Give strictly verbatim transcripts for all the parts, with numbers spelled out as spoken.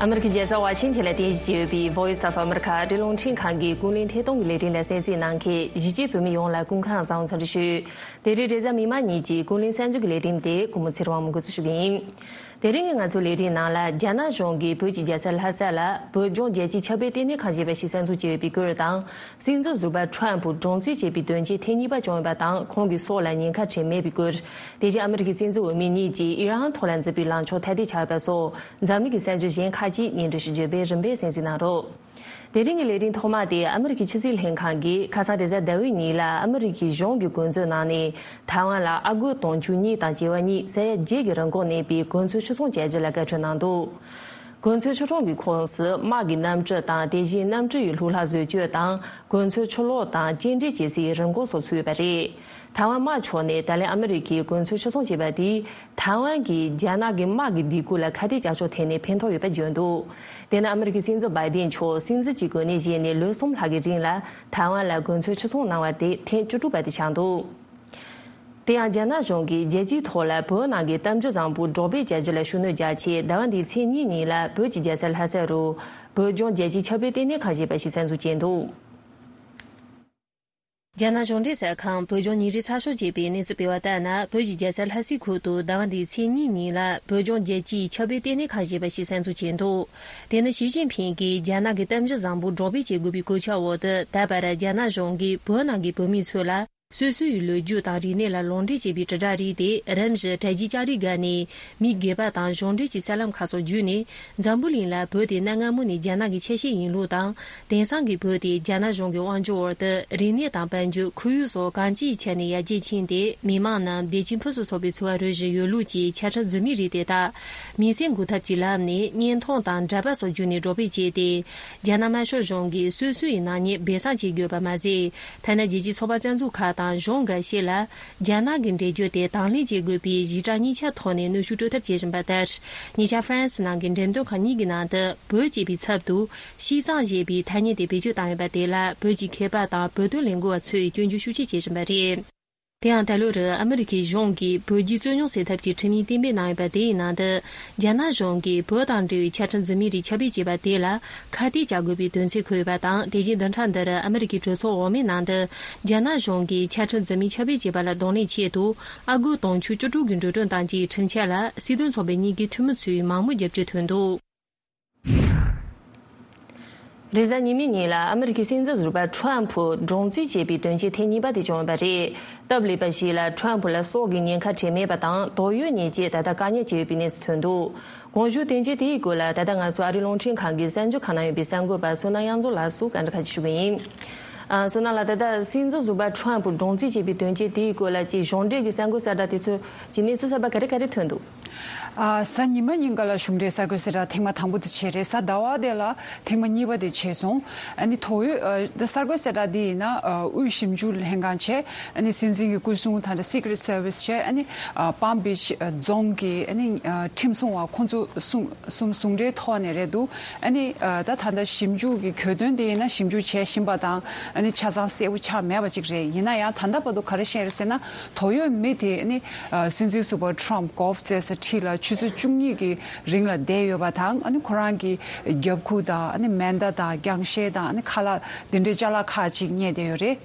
ཨ་མི་རི་ཀའི་རྒྱལ་ས་ཝ་ཤིང་ཐན་ལ་རྟེན་གཞི་བྱས་ཡོད་པའི་Voice of America ཨ་རིའི་རླུང་འཕྲིན་ཁང་གི་ཀུན་གླེང་ཐད་གཏོང་གི་ལས་རིམ་ལ་གསན་གཟིགས་གནང་མཁན་གཞིས་བྱེས་བོད་མི་ཡོངས་ལ་སྐུ་ཁམས་བཟང་བའི་འཚམས་འདྲི་ཞུ། དེ་རིང་རེས་གཟའ་མིག་དམར་ཉིན་གྱི་ཀུན་གླེང་གསར་འགྱུར་གྱི་ལས་རིམ་དེ་ཀུན་མོ་ཚེ་རིང་དབང་མོས་འགོ་འཛུགས་ཞུ་གི་ཡིན། དེ་རིང་གི་ང་ཚོའི་ལས་རིམ་ནང་ལ་རྒྱ་ནག་གཞུང་གིས་བོད་ཀྱི་རྒྱལ་ས་ལྷ་ས་ལ་བོད་ལྗོངས་རྒྱལ་སྤྱིའི་ཁྱབ་སྤེལ་ལྟེ་གནས་ཁང་ཞེས་པ་ཞིག་གསར་འཛུགས་བྱས་ཡོད་པའི་སྐོར་དང་། སྲིད་འཛིན་ཟུར་པ་ཁྲོམ་ཕུ་བགྲོ་གླེང་བྱས་པའི་དོན་རྐྱེན་ཐེངས་གཉིས་པ་བྱུང་ཡོད་པ་དང་། ཁོང་གི་སྲོག་ལ་ཉེན་ཁ་འཕྲད་མེད་པའི་སྐོར། དེ་བཞིན་ཨ་མི་རི་ཀའི་སྲིད་འཛིན་འོས་མི་གཉིས་ཀྱིས་ཨི་རན་ཐོག་ལ་མཛད་པའི་ལངས་ཕྱོགས་ཐ་དད་ཆགས་ཡོད་པ་སོགས། འཛམ་གླིང་གི་གསར་འགྱུར་གཞན་ཁག་ཅིག་སྙན་སྒྲོན་ཞུ་རྒྱུ་བས། རིམ་པས་གསན་གཟིགས་གནང་རོགས། དེ་རིང་གི་ལས་རིམ་ཐོག་མ་དེ་ཨ་མི་རི་ཀའི་ཕྱི་སྲིད་ལྷན་ཁང་གིས་ཁ་སང་རེས་གཟའ་ཟླ་བའི་ཉིན་ལ་ཨ་མི་རི་ཀའི་གཞུང་གི་གོ་མཛོད་ནང་ནས་ཐའེ་ཝན་ལ་ཨ་སྒོར་དུང་ཕྱུར་གཉིས་དང་བྱེ་བ་གཉིས་ས་ཡ་བརྒྱད་ཀྱི་རིན་གོང་གནས་པའི་གོ་མཚོན་ཕྱིར་ཚོང་བྱ་རྒྱུ་ལ་བཀའ་འཁྲོལ་གནང་འདུག་གོ་མཚོན་ཕྱིར་ཚོང་གི་ཁོངས་སུ་དམག་གི་གནམ་གྲུ་དང་། དེ་བཞིན་གནམ་གྲུ་ཡི་ལྷུ་ལག་བཟོ་བཅོས་དང་། གོ་མཚོན་ཕྱིར་སློག་དང་སྐྱེལ་འདྲེན་བྱེད་སའི་རིན་གོང་སོགས་ཚུད་ཡོད་པ་རེད། ཐའེ་ཝན་དམག་ཕྱོགས་ནས་ད་ལན་ཨ་མི་རི་ཀའི་གོ་མཚོན་ཕྱིར་ཚོང་བྱས་པ་དེས་ཐའེ་ཝན་གྱིས་རྒྱ་ནག་གི་དམག་གི་སྡིགས་སྐུལ་ལ་ཁ་གཏད་བཅག་ཕྱོགས་ཐད་ནས་ཕན་ཐོགས་ཡོད་པ་བརྗོད་འདུག་དེ་ནི་ཨ་མི་རི་ཀའི་སྲིད་འཛིན་བྷའི་ཏིན་མཆོག་སྲིད་འཛིན་གྱི་གོ་གནས་བཞེས་ནས་ལོ་གསུམ་ལྷག་གི་རིང་ལ་ཐའེ་ཝན་ལ་གོ་མཚོན་ཕྱིར་ཚོང་གནང་བ་དེ་ཐེངས་བཅུ་དྲུག་པ་དེ་ཆགས་འདུག་དེ་ཡང་རྒྱ་ནག་གཞུང་གིས་རྒྱལ་སྤྱིའི་ཐོག་ལ་བོད་ནང་གི་གཏམ་རྒྱུད་བཟང་པོ་སྒྲོག་སྤེལ་བྱ་རྒྱུ་ལ་ཤུགས་སྣོན་རྒྱག་ཆེད། ཟླ་བ་འདིའི་ཚེས་གཉིས་ཉིན་ལ་བོད་ཀྱི་རྒྱལ་ས་ལྷ་ས་རུ་བོད་ལྗོངས་རྒྱལ་སྤྱིའི་ཁྱབ་སྤེལ་ལྟེ་གནས་ཁང་ཞེས་པ་ཞིག་གསར་འཛུགས་བྱས་འདུག་རྒྱ་ནག་གཞུང་འབྲེལ་གསར་ཁང་བོད་ལྗོངས་ཉིན་རེའི་ཚགས་ཤོག་ཅེས་པས་གནས་ཚུལ་སྤེལ་བ་ལྟར་ན། བོད་ཀྱི་རྒྱལ་ས་ལྷ་སའི་ཁུལ་དུ་ཟླ་བ་འདིའི་ཚེས་གཉིས་ཉིན་ལ་བོད་ལྗོངས་རྒྱལ་སྤྱིའི་ཁྱབ་སྤེལ་ལྟེ་གནས་ཁང་ཞེས་པ་ཞིག་གསར་འཛུགས་བྱས་འདུག་དེ་ནི་ཞི་ཅིན་ཕིང་གིས་རྒྱ་ནག་གི་གཏམ་རྒྱུད་བཟང་པོ་སྒྲོག་སྤེལ་བྱེད་དགོས་པའི་སྐུལ་ལྕག་འོག་ཏུ། ད་བར་རྒྱ་ནག་གཞུང་གིས་བོད་ནང་གི་བོད་མི་ཚོ་ལ་སོ་སོའི་ལོ་རྒྱུས་དང་རིག་གནས་ལ་ལུང་འདྲེན་བྱེད་པའི་དྲིལ་བསྒྲགས་རིགས་དེ་རིམ་བཞིན་དྲ་རྒྱའི་ལྕགས་རིའི་སྒང་ནས་མི་སྒེར་པ་དང་གཞུང་འབྲེལ་གྱི་གསར་ལམ་ཁག་སོགས་བརྒྱུད་ནས། འཛམ་བུ་གླིང་ལ་བོད་དེ་གནའ་སྔ་མོ་ནས་རྒྱ་ནག་གི་ཆ་ཤས་ཡིན་ལུགས་དང་། དེང་སང་གི་བོད་དེ་རྒྱ་ནག་གཞུང་གི་དབང་སྒྱུར་འོག་ཏུ་རིག་གནས་དང་དཔལ་འབྱོར། ཁོར་ཡུག་སོགས་གང་ཅིའི་ཆ་ནས་ཡར་རྒྱས་ཕྱིན་ཏེ། མི་དམངས་རྣམས་བདེ་སྐྱིད་ཕུན་སུམ་ཚོགས་པའི་འཚོ་བ་རོལ་བཞིན་ཡོད་ལུགས་ཀྱི་ཆ་འཕྲིན་རྫུན་མའི་རིགས་དེ་དག་མིང་སྲིང་འགུག་ཐབས་ཀྱི་ལམ་ནས་བརྙན་ཐུང་དང་འདྲ་པར་སོགས་བརྒྱུད་ནས་སྒྲོག་སྤེལ་བྱས་ཏེ། རྒྱ་ནག་དམར་ཤོག་གཞུང་གིས་སོ་སོ་ཡི་ནག་ཉེས་སྦས་གསང་བྱེད་དགོས་པ་མ་ཟད། ཐ་ན་རྒྱལ་སྤྱིའི་ཚོགས་པ་རྩ་འཛུགས་ཁག་དང་གཞུང་འགའ་ཤས་ལ། རྒྱ་ནག་གི་འགྲེལ་བརྗོད་དེ་དང་ལེན་བྱེད་དགོས་པའི་ཞིབ་ཕྲ་གཉིས་ཆ་ཐོག་ནས་གནོན་ཤུགས་སྤྲོད་ཐབས་བྱེད་བཞིན་པ་ལྟར། ཉེ་ཆར་ཧྥ་རན་སི་ནང་གི་འགྲེམས་སྟོན་ཁང་གཉིས་ཀྱི་ནང་དུ་བོད་ཅེས་པའི་ཚབ་ཏུ་ཤིས་ཙང་ཞེས་པའི་ཐ་སྙད་དེ་བེད་སྤྱོད་བཏང་ཡོད་པ་དེ་ལ། བོད་ཀྱི་མཁས་པ་དང་བོད་དོན་ལས་འགུལ་བ་ཚོས་སྐྱོན་བརྗོད་ཤུགས་ཆེ་བྱེད་བཞིན་པ་རེད། དེ་ཡང་ད་ལོར་ཨ་མི་རི་ཀའི་གཞུང་གིས་བོད་རྒྱའི་རྩོད་རྙོག་སེལ་ཐབས་ཀྱི་ཁྲིམས་ཡིག་གཏན་འབེབས་གནང་ཡོད་པ་དེའི་ནང་དུ། རྒྱ་ནག་གཞུང་གིས་བོད་དང་འབྲེལ་བའི་ཆ་འཕྲིན་རྫུན་མའི་རིགས་ཁྱབ་སྤེལ་བྱས་པ་དེ་ལ་ཁ་གཏད་བཅག་དགོས་པའི་དོན་ཚན་འཁོད་ཡོད་པ་དང་། དེ་བཞིན་བདུན་ཕྲག་འདིར་ཨ་མི་རི་ཀའི་གྲོས་ཚོགས་འོག་མའི་ནང་དུ། རྒྱ་ནག་གཞུང་གིས་ཆ་འཕྲིན་རྫུན་མའི་ཁྱབ་སྤེལ་བྱས་པ་ལ་གདོང་ལེན་ཆེད་དུ། ཨ་སྒོར་དུང་ཕྱུར་བཅུ་དྲུག་གི་འགྲོ་གྲོན་དང་བཅས་ཁྲིམས་འཆར་ལ་སྲིད་དོན་ཚོགས་པའི་གཉིས་ཀའི་འཐུས་མི་ཚོས་མང་མོས་རྒྱབ་སྐྱོར་ཐོན་འདུག་རེས་གཟའ་ཉི་མའི་ཉིན་ལ་ཨ་མི་རི་ཀའི་སྲིད་འཛིན་ཟུར་པ་ཁྲོམ་ཕུ་བགྲོ་གླེང་བྱས་པའི་དོན་རྐྱེན་ཐེངས་གཉིས་པ་དེ་བྱུང་ཡོད་པ་རེད། སྟབས་ལེགས་པ་ཞིག་ལ་ཁྲོམ་ཕུ་ལ་སྲོག་གི་ཉེན་ཁ་འཕྲད་མེད་པ་དང་། དོགས་ཡོད་ཉེན་ཆེ་ད་ལྟ་བཀག་ཉར་བྱས་ཡོད་པའི་གནས་ཚུལ་ཐོན་འདུག་གོང་ཞུས་དོན་རྐྱེན་དེའི་སྐོར་ལ་ད་ལྟ་ང་ཚོ་ཨ་རིའི་རླུང་འཕྲིན་ཁང་གི་གསར་འགྱུར་ཁང་ནང་ཡོད་པའི་གསར་འགོད་པ་བསོད་ནམས་དབྱངས་འཛོམས་ལགས་སུ་བཀའ་འདྲི་ཁ་ཤས་ཞུ་གི་ཡིན། ཨ། བསོད་ནམས་ལགས། ད་ལྟ་སྲིད་འཛིན་ཟུར་པ་ཁྲོམ་ཕུ་བགྲོ་གླེང་བྱས་པའི་དོན་རྐྱེན་དེའི་སྐོར་ལ་ཅིག་གཞུང་འབྲེལ་གྱི་གསར་འགོད་གསལ་བསྒྲགས་དེ་ཚོ་གི་གནས་ཚུལ་གསར་པ་ག་རེ་ག་རེ་ཐོན་འདུག་ཨ། གཟའ་ཉི་མ་ཉིན་ཀ་ལ་གཞུང་འབྲེལ་གསར་འགོད་གསལ་བསྒྲགས་ཐེངས་མ་དང་པོ་དེ་བྱས་རེད། གཟའ་ཟླ་བ་དེ་ལ་ཐེངས་མ་གཉིས་པ་དེ་བྱས་སོང་། ཨ་ནི་དོགས་ཡོད། ཨ། གསར་འགོད་གསལ་བསྒྲགས་འདི་ཡིན་ན། ཨ། དབུས་ཞིབ་འཇུག་ལྷན་ཁང་བྱས། ཨ་ནི་སྲིད་འཛིན་གྱི་སྐུ་སྲུང་དང་འདྲ་Secret Service བྱས། ཨ་ནི། ཨ། Palm Beach རྫོང་གི། ཨ་ནི། ཨ། ཁྲིམས་སྲུང་བ་ཁོང་ཚོ་ཟུང་ཟུང་ཟུང་འབྲེལ་ཐོག་ནས་རེད་འདུག་ཨ་ནི། ཨ། ད་ད་ལྟ་ཞིབ་འཇུག་གི་གྱོད་དོན་དེ་ཡིན་ན་ཞིབ་འཇུག་བྱས་བཞིན་པ་དང་། ཨ་ནི་ཆ་ཚང་གསལ་པོ་ཆགས་མེད་པ་ཅིག་རེད། ཡིན་ན་ཡང་ད་ལྟ་བར་དུ་ག་རེ་བཤད་རེད་ཟེར་ན། དོགས་ཡོད་མི་དེ། ཨ་ནི། ཨ། སྲིད་འཛིན་ཟུར་པ་ཁྲོམ་གོལ་ཕ་རྩེད་ས་ཁྲི་ལ་ཆུ་ཚོད་བཅུ་གཉིས་ཀྱི་རིང་ལ་བསྡད་ཡོད་པ་དང་། ཨ་ནི་ཁོ་རང་གི་རྒྱབ་ཁུག་དང་། ཨ་ནི་མེ་མདའ་དང་རྒྱང་ཤེལ་དང་། ཨ་ནི་ཁ་ལག་དེ་འདྲའི་ཅ་ལག་ཁག་ཅིག་རྙེད་བསྡད་ཡོད་རེད།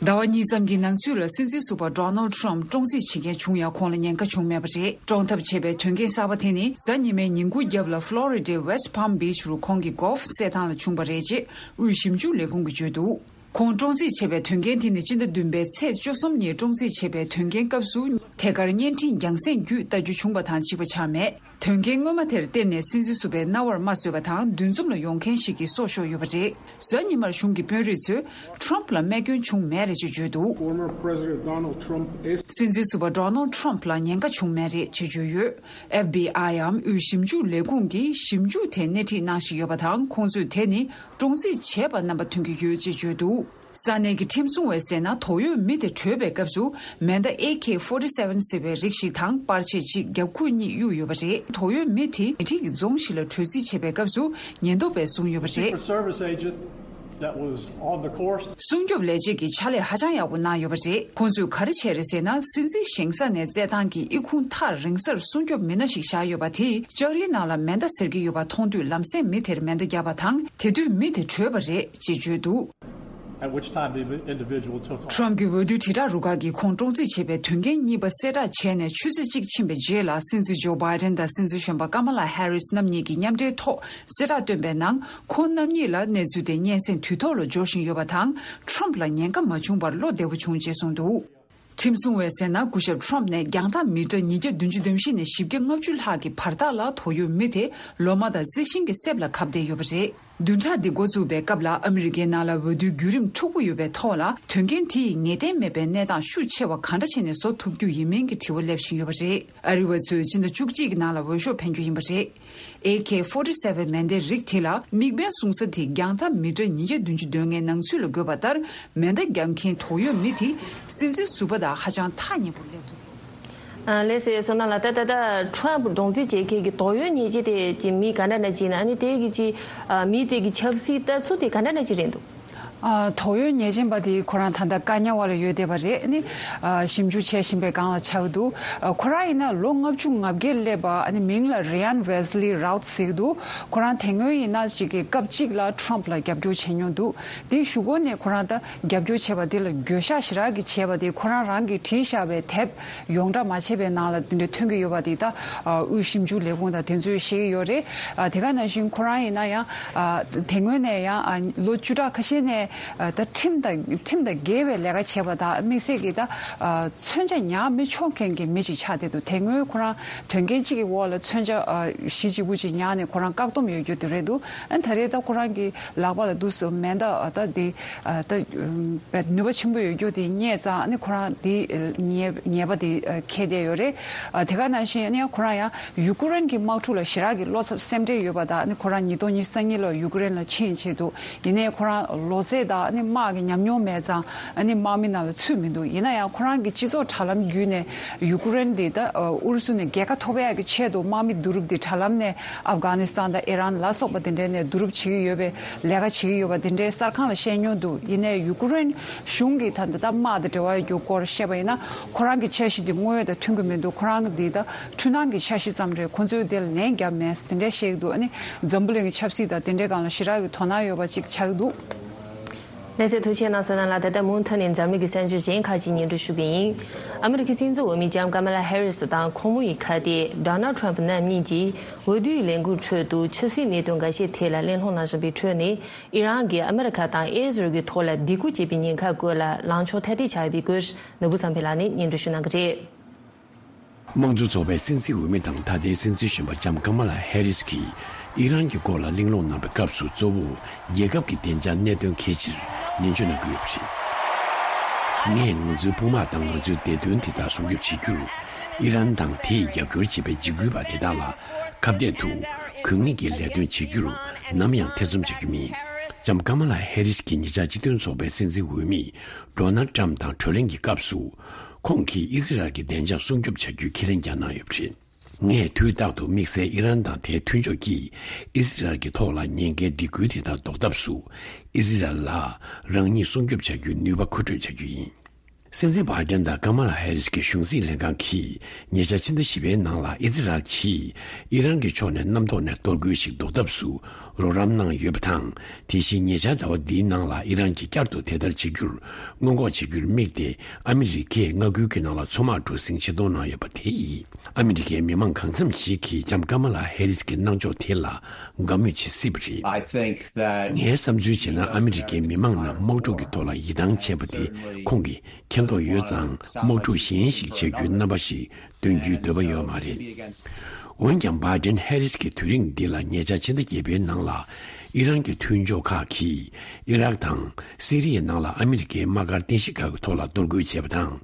ཟླ་བ་གཉིས་ཙམ་གྱི་ནང་ཚུད་ལ་སྲིད་འཛིན་ཟུར་པ་Donald Trump བཀྲོངས་རྩིས་བྱེད་མཁན་བྱུང་ཡང་། ཁོང་ལ་ཉེན་ཁ་བྱུང་མེད་པ་རེད། བཀྲོངས་ཐབས་བྱས་པའི་དོན་རྐྱེན་གསར་པ་དེ་ནི་གཟའ་ཉི་མའི་ཉིན་གུང་རྒྱབ་ལ་Florida West Palm Beach རུ་ཁོང་གི་གོལ་ཕ་རྩེད་ཐང་ལ་བྱུང་བ་རེད་ཅེས་དབུས་ཞིབ་འཇུག་ལས་ཁུངས་ཀྱིས་བརྗོད་འདུག་ཁོང་བཀྲོངས་རྩིས་བྱས་པའི་དོན་རྐྱེན་དེ་ནི་སྤྱི་ཟླ་བདུན་པའི་ཚེས་བཅུ་གསུམ་ཉིན་བཀྲོངས་རྩིས་བྱས་པའི་དོན་རྐྱེན་སྐབས་སུ་ཐད་ཀར་བརྙན་འཕྲིན་རྒྱང་སེང་བརྒྱུད་ལྟ་རྒྱུ་བྱུང་བ་དང་གཅིག་པ་ཆགས་མེད། དོན་རྐྱེན་སྔོན་མ་དེར་བརྟེན་ནས་སྲིད་འཛིན་ཟུར་པའི་རྣ་བར་རྨ་བཟོས་པ་དང་། འདུ་འཛོམས་ལ་ཡོང་མཁན་ཞིག་གིས་སྲོག་ཤོར་ཡོད་པ་རེད། གཟའ་ཉི་མར་གཞུང་གི་དཔོན་རིགས་ཚོས་Trump ལ་རྨས་སྐྱོན་བྱུང་མེད་རེད་ཅེས་བརྗོད་འདུག Former President Donald Trump is སྲིད་འཛིན་ཟུར་པ་Donald Trump ལ་ཉེན་ཁ་བྱུང་མེད་རེད་ཅེས་བརྗོད་ཡོད། F B I འམ་དབུས་ཞིབ་འཇུག་ལས་ཁུངས་ཀྱིས་ཞིབ་འཇུག་དེ་སྣེ་ཁྲིད་གནང་བཞིན་ཡོད་པ་དང་། ཁོང་ཚོས་དེ་ནི་བཀྲོངས་རྩིས་བྱས་པ་རྣམ་པ་ཐོན་གྱི་ཡོད་ཅེས་བརྗོད་འདུག་ས་གནས་ཀྱི་ཁྲིམས་སྲུང་བས་ཟེར་ན། དོགས་ཡོད་མི་དེ་བྲོས་པའི་སྐབས་སུ་མེ་མདའ་A K forty-seven ཟེར་བའི་རིགས་ཤིག་དང་པར་ཆས་གཅིག་རྒྱབ་ཁུག་གཉིས་གཡུགས་ཡོད་པ་རེད། དོགས་ཡོད་མི་དེ་ཉེ་འཁྲིས་ཀྱི་རྫོང་ཞིག་ལ་བྲོས་རྩིས་བྱེད་པའི་སྐབས་སུ་ཉེན་རྟོག་པས་བཟུང་ཡོད་པ་རེད། Secret Service agent That was on the course. སྲུང་སྐྱོབ་ལས་བྱེད་ཀྱིས་ཕྱག་ལས་ཧ་ཅང་ཡག་པོ་གནང་ཡོད་པ་རེད། ཁོང་ཚོས་ག་རེ་བྱས་རེད་ཟེར་ན། སྲིད་འཛིན་བཞེངས་ས་ནས་རྩེད་ཐང་གི་ཨི་ཁུང་ཐག་རིང་སར་སྲུང་སྐྱོབ་མི་སྣ་ཞིག་བཞག་ཡོད་པ་དེས་ལྕགས་རིའི་ནང་ལ་མེ་མདའ་ཟེར་གྱི་ཡོད་པ་མཐོང་དུས་ལམ་སེང་མི་དེར་མེ་མདའ་བརྒྱབ་པ་དང་། དེ་དུས་མི་དེ་བྲོས་པ་རེད་ཅེས་བརྗོད་འདུག At which time the individual took off. ཁྲོམ་གྱི་འོས་བསྡུ་དྲིལ་བསྒྲགས་རུ་ཁག་གིས་ཁོང་བཀྲོངས་རྩིས་བྱས་པའི་དོན་རྐྱེན་གཉིས་པ་གསལ་བསྒྲགས་བྱས་ནས་ཆུ་ཚོད་གཅིག་ཕྱིན་པའི་རྗེས་ལ། སྲིད་འཛིན་ཇོ་བྷའི་ཌེན་དང་སྲིད་འཛིན་གཞོན་པ་ཀ་མ་ལ་ཧེ་རིས་རྣམ་གཉིས་ཀྱིས་མཉམ་འབྲེལ་ཐོག་གསལ་བསྒྲགས་བཏོན་པའི་ནང་། ཁོང་རྣམ་གཉིས་ལ་གནས་ཚུལ་དེ་སྙན་སེང་དུས་ཐོག་ལ་འབྱོར་བཞིན་ཡོད་པ་དང་། ཁྲོམ་ལ་ཉེན་ཁ་མ་བྱུང་བར་བློ་བདེ་པོ་བྱུང་ཅེས་གསུངས་འདུག་ཁྲིམས་སྲུང་བས་ཟེར་ན། སྐུ་ཞབས་ཁྲོམ་ནས་རྒྱང་ཐག་མི་ཊར་ཉིས་བརྒྱ་བདུན་ཅུ་དོན་བཞི་ནས་བཞི་བརྒྱ་ལྔ་བཅུ་ལྷག་གི་བར་ཐག་ལ་དོགས་ཡོད་མི་དེ་ལོ་མ་དང་རྩི་ཤིང་གི་གསེབ་ལ་གབ་བསྡད་ཡོད་པ་རེད། བདུན་ཕྲག་འདི་འགོ་བཙུགས་པའི་སྐབས་ལ། ཨ་མི་རི་ཀའི་ནང་ལ་འོས་བསྡུའི་བརྒྱུད་རིམ་འཁྲུག་པོ་ཡོད་པའི་ཐོག་ལ། དོན་རྐྱེན་དེ་ཡིས་ངེས་གཏན་མེད་པའི་གནས་སྟངས་ཤུགས་ཆེ་བ་གང་འདྲ་བྱས་ནས་བཟོ་ཐུབ་རྒྱུ་ཡིན་མིན་གྱི་དྲི་བ་སླེབས་བཞིན་ཡོད་པ་རེད། ཨ་རི་བ་ཚོས་སྤྱི་ཟླ་བཅུ་གཅིག་གི་ནང་ལ་འོས་ཤོག་འཕེན་རྒྱུ་ཡིན་པ་རེད། ཨེ་ཀེ་ཕོར་ཊི་སེ་ཝེན་མེ་མདའི་རིགས་དེ་ལ་དམིགས་འབེན་བཟུང་ས་དེ་རྒྱང་ཐག་མི་ཊར་ཉིས་བརྒྱ་བདུན་ཅུ་དོན་ལྔའི་ནང་ཚུད་ལ་དགོས་པ་ལྟར། མེ་མདའ་བརྒྱབ་མཁན་དོགས་ཡོད་མི་དེ་སྲིད་འཛིན་ཟུར་པ་དང་ཧ་ཅང་ཐག་ཉེ་པོར་སླེབས་འདུག་ཨ། ལགས་སེ། བསོད་ནམས་ལགས། ད་ད་ད་ཁྲོམ་བཀྲོངས་རྩིས་བྱེད་མཁན་གྱི་དོགས་ཡོད་ཉེས་ཅན་དེ་གྱི་མི་ག་འདྲ་འདྲ་ཅིག་ཡིན་ན། ཨ་ནི་དེ་གི་ཅི། ཨ། མི་དེ་གི་ཆབ་སྲིད་ལྟ་ཚུལ་དེ་ག་འདྲ་འདྲ་ཅིག་རེད་འདུག་ཨ། དོགས་ཡོད་ཉེས་ཅན་པ་དེ་ཁོ་རང་ད་ལྟ་བཀག་ཉར་འོག་ལ་ཡོད་བསྡད་པ་རེད། ཨ་ནི། ཨ། ཞིབ་འཇུག་བྱེད་བཞིན་པའི་སྒང་ལ་ཆགས་འདུག་ཨ། ཁོ་རང་ཡིན་ན་ལོ་ལྔ་བཅུ་ང་བརྒྱད་སླེབས་པ། ཨ་ནི་མིང་ལ་རི་ཡན་ཝེ་སི་ལི་རའུ་ཐི་ཟེར་གྱི་འདུག་ཁོ་རང་དེ་སྔོན་ཡིན་ན་ཅིག་གི་སྐབས་གཅིག་ལ་ཁྲོམ་ལ་རྒྱབ་སྐྱོར་བྱེད་མྱོང་འདུག་དེའི་གཞུག་གུ་ནས་ཁོ་རང་ད་རྒྱབ་སྐྱོར་བྱས་པ་དེ་ལ་འགྱོད་བཤགས་ཞེ་དྲག་གི་བྱས་པ་དེ། ཁོ་རང་རང་གིས་བྲིས་བཞག་པའི་དེབ་ཡོངས་གྲགས་མ་བྱས་པའི་ནང་ལ་དེ་འདྲ་ཐོན་གྱི་ཡོད་པ་དེ། ད་དབུས་ཞིབ་འཇུག་ལས་ཁུངས་དང་དེ་ཚོས་བཤད་ཀྱི་ཡོད་རེད། ཨ། དེ་ག་ནང་བཞིན་ཁོ་རང་ཡིན་ན་ཡང་། ཨ། དེ་སྔོན་ནས་ཡང་། ཨ། ལོ་བཅུ་ཕྲག་ཁ་ཤས་ནས། ཨ། ད་ཁྲིམས་དང་ཁྲིམས་དང་འགལ་བའི་ལས་ཀ་བྱས་པ་དང་། དམིགས་བསལ་གྱིས་ད། ཨ། མཚོན་ཆ་ཉར་མི་ཆོག་མཁན་གྱི་མི་ཅིག་ཆགས་བསྡད་འདུག་དེ་སྔོན་ཁོ་རང་དོན་རྐྱེན་གཅིག་གི་འོག་ལ་མཚོན་ཆ། ཨ། བཞི་གཅིག་པུ་ཅིག་ཉར་ནས་ཁོ་རང་བཀག་སྡོམ་ཡོད་རྒྱུ་དེ་རེད་འདུག་ཨ། ད་རེས་ད་ཁོ་རང་གི་ལག་པ་ལ་འདུག་སེ་མེ་མདའ། ཨ། ད་དེ། ཨ། ད་ནུས་པ་ཆེན་པོ་ཡོད་རྒྱུ་དེ་རྙེད་ཙང་། ཨ་ནི་ཁོ་རང་དེ་ཉེས་ཉེས་པ་དེ་འཁྱེར་བསྡད་ཡོད་རེད། ཨ། དེ་ག་ནང་བཞིན། ཨ་ནི་ཁོ་རང་ཡང་ཡུ་ཀེ་རེན་གྱི་དམག་འཁྲུག་ལ་ཞེ་དྲག་གི་བློ་འཚབ་སེམས་ཁྲལ་ཡོད་པ་དང་། ཨ་ནི་ཁོ་རང་ཉིས་སྟོང་ཉི་ཤུ་རྩ་གཉིས་ལོར་ཡུ་ཀེ་རེན་ལ་ཕྱིན་ཆེད་དུ། ཡིན་ནའི་ཁོ་རང་ལོ་ཚད་དང་། ཨ་ནི་དམག་གི་ཉམས་མྱོང་མེད་ཙང་། ཨ་ནི་དམག་མི་ནང་ལ་ཚུད་མི་འདུག་ཡིན་ན་ཡང་ཁོ་རང་གི་སྤྱི་ཚོགས་དྲ་ལམ་བརྒྱུད་ནས་ཡུ་ཀེ་རེན་དེ་ད། ཨ། ཨུ་རུ་སུ་ནས་རྒྱལ་ཁ་ཐོབ་ཡག་གི་ཆེད་དུ། དམག་མི་བསྡུ་རུབ་དེ་དྲ་ལམ་ནས། ཨབ་གྷ་ནི་སི་ཐན་དང་ཨི་རན་ལ་སོགས་པ་དེ་འདྲའི་ནས་བསྡུ་རུབ་བྱེད་ཀྱི་ཡོད་པའི་ལས་ཀ་བྱེད་ཀྱི་ཡོད་པ་དེ་འདྲའི་གསར་ཁང་ལ་བཤད་མྱོང་འདུག་ཡིན་ནའི་ཡུ་ཀེ་རེན་གཞུང་གིས་ད་ལྟ་དམག་དང་འབྲེལ་བ་ཡོད་རྒྱུ་སྐོར་བཤད་པ་ཡིན་ན། ཁོ་རང་གི་འཆར་གཞི་དེ་དངོས་ཡོད་དང་མཐུན་གྱི་མི་འདུག་ཁོ་རང་གི་དེ་ད་འཕྲུལ་སྣང་གི་འཆར་གཞི་ཙམ་རེད། ཁོ་ཚོས་དེ་ལ་ལན་བརྒྱབ་མེད་ཟེར་དེ་འདྲ་བཤད་ཀྱི་འདུག་ཨ་ནི་འཛམ་བུ་གླིང་གི་ཆབ་སྲིད་དང་དེ་འདྲའི་སྒང་ལ་ཞེ་དྲག་གི་དོ་སྣང་ཡོད་པ་ཅིག་ཆགས་ཀྱི་འདུག་ལགས་སེ། ཐུགས་རྗེ་གནང་། བསོད་ནམས་ལགས། ད་ལྟ་མུ་མཐུད་ནས་འཛམ་གླིང་གི་གསར་འགྱུར་གཞན་ཁག་ཅིག་སྙན་སྒྲོན་ཞུ་གི་ཡིན། ཨ་མི་རི་ཀའི་སྲིད་འཛིན་འོས་མི་ལྕམ་ཀ་མ་ལ་ཧེ་རི་སི་དང་ཁོང་མོ་ཡི་ཁ་གཏད་ཌོ་ནལ་ཊམ་པ་རྣམ་གཉིས་ཀྱིས་འོས་བསྡུའི་ལས་འགུལ་ཁྲོད་དུ་ཆབ་སྲིད་གནད་དོན་འགའ་ཤས་ཐད་ལ་གླེང་སློང་གནང་བཞིན་པའི་ཁྲོད་ནས། ཨི་རན་གྱིས་ཨ་མི་རི་ཀ་དང་ཨི་ཟི་རལ་གྱི་ཐོག་ལ་སྡིགས་སྐུལ་བྱས་པའི་ཉེན་ཁ་སྐོར་ལ་ལངས་ཕྱོགས་ཐ་དད་ཆགས་ཡོད་པའི་སྐོར། ནོར་བུ་བསམ་འཕེལ་ལགས་ནས་སྙན་སྒྲོན་ཞུ་གནང་གི་རེད། དམངས་གཙོ་ཚོགས་པའི་སྲིད་འཛིན་འོས་མི་དང་། ད་ལྟའི་སྲིད་འཛིན་གཞོན་པ་ལྕམ་ཀ་མ་ལ་ཧེ་རི་སི་གིས་ཨི་རན་གྱི་སྐོར་ལ་གླེང་སློང་གནང་བའི་སྐབས་སུ། གཙོ་བོ་རྒྱལ་ཁབ་ཀྱི་བདེ་འཇགས་གནད་དོན་གལ་ཆེར་ནན་བརྗོད་གནང་གི་ཡོད་པ་རེད། ངས་ང་ཚོའི་དཔུང་དམག་དང་ང་ཚོའི་བདེ་དོན་དེ་དག་སྲུང་སྐྱོབ་བྱེད་རྒྱུར། ཨི་རན་དང་དེས་རྒྱབ་སྐྱོར་བྱེད་པའི་འཇིགས་སྐུལ་བ་དེ་དག་ལ་ཁ་གཏད་དུ་གུ་ངེས་ཀྱི་ལས་དོན་བྱེད་རྒྱུར་ནམ་ཡང་ཐེ་ཚོམ་བྱ་རྒྱུ་མིན། ལྕམ་ཀ་མ་ལ་ཧེ་རི་སི་གིས་ཉེ་ཆར་སྤྱི་མཐུན་ཚོགས་པའི་སྲིད་འཛིན་འོས་མི་ཌོ་ནལ་ཊམ་དང་གྲོས་གླེང་གི་སྐབས་སུ། ཁོང་གིས་ཨི་ཟི་རལ་གྱི་བདེ་འཇགས་སྲུང་སྐྱོབ་བྱ་རྒྱུའི་ཁས་ལེན་ཀྱང་གནང་ཡོད་པ་རེད། ངས་དུས་རྟག་ཏུ་དམིགས་བསལ་ཨི་རན་དང་དེའི་མཐུན་ཕྱོགས་ཀྱིས་ཨི་ཟི་རལ་གྱི་ཐོག་ལ་ཉེན་ཁའི་སྡིགས་སྐུལ་དེ་དག་ཟློག་ཐབས་སུ། ཨི་ཟི་རལ་ལ་རང་ཉིད་སྲུང་སྐྱོབ་བྱ་རྒྱུའི་ནུས་པ་མཁོ་སྤྲོད་བྱ་རྒྱུ་ཡིན། སྲིད་འཛིན་བྷའི་ཌེན་དང་ཀ་མ་ལ་ཧེ་རི་སི་གི་གཞུང་སྲིད་ལྷན་ཁང་གིས་ཉེ་ཆར་ཕྱི་ཟླ་བཞི་པའི་ནང་ལ་ཨི་ཟི་རལ་གྱིས་ཨི་རན་གྱི་ཕྱོགས་ནས་གནམ་ཐོག་ནས་གཏོར་རྒོལ་ཞིག་ཟློག་ཐབས་སུ་རོགས་རམ་གནང་ཡོད་པ་དང་། དེ་བཞིན་ཉེ་ཆར་ཟླ་བ་འདིའི་ནང་ལ་ཨི་རན་གྱིས་བསྐྱར་དུ་དེ་ལྟར་བྱེད་རྒྱུར་སྔོན་འགོག་བྱེད་རྒྱུར་དམིགས་ཏེ། ཨ་མི་རི་ཀས་མངའ་ཁུལ་གྱི་ནང་ལ་མཚོ་དམག་གྲུ་གཟིངས་ཆེད་གཏོང་གནང་ཡོད་པ་དེ་ཡིས། ཨ་མི་རི་ཀའི་མི་མང་གང་འཚམ་ཞིག་གིས་ལྕམ་ཀ་མ་ལ་ཧེ་རི་སི་གི་གནང་ཕྱོགས་དེ་ལ་དགའ་མོས་བྱེད་སྲིད་པ་རེད། I think that ངའི་བསམ་ཚུལ་བྱས་ན། ཨ་མི་རི་ཀའི་མི་མང་རྣམས་དམག་འཁྲུག་གི་ཐོག་ལ་ཡིད་ཐང་ཆད་པ་དེ་ཁོང་གིས་མཁྱེན་རྟོགས་ཡོད་ཙང་། དམག་འཁྲུག་གཞན་ཞིག་བྱ་རྒྱུའི་རྣམ་པ་ཞིག་སྟོན་རྒྱུའི་འདོད་པ་ཡོད་མ་རེད། འོན་ཀྱང་། བྷའི་ཌེན་ཧེ་རི་སི་གི་དུས་རིང་འདི་ལ། ཉེ་ཆར་ཕྱི་ཟླ་བརྒྱད་པའི་ནང་ལ་ཨི་རན་གྱི་མཐུན་ཕྱོགས་ཁག་གིས་ཨི་རག་དང་སི་རི་ཡའི་ནང་ལ་ཨ་མི་རི་ཀའི་དམག་སྒར་རྟེན་གཞི་ཁག་གི་ཐོག་ལ་གཏོར་རྒོལ་བྱས་པ་དང་།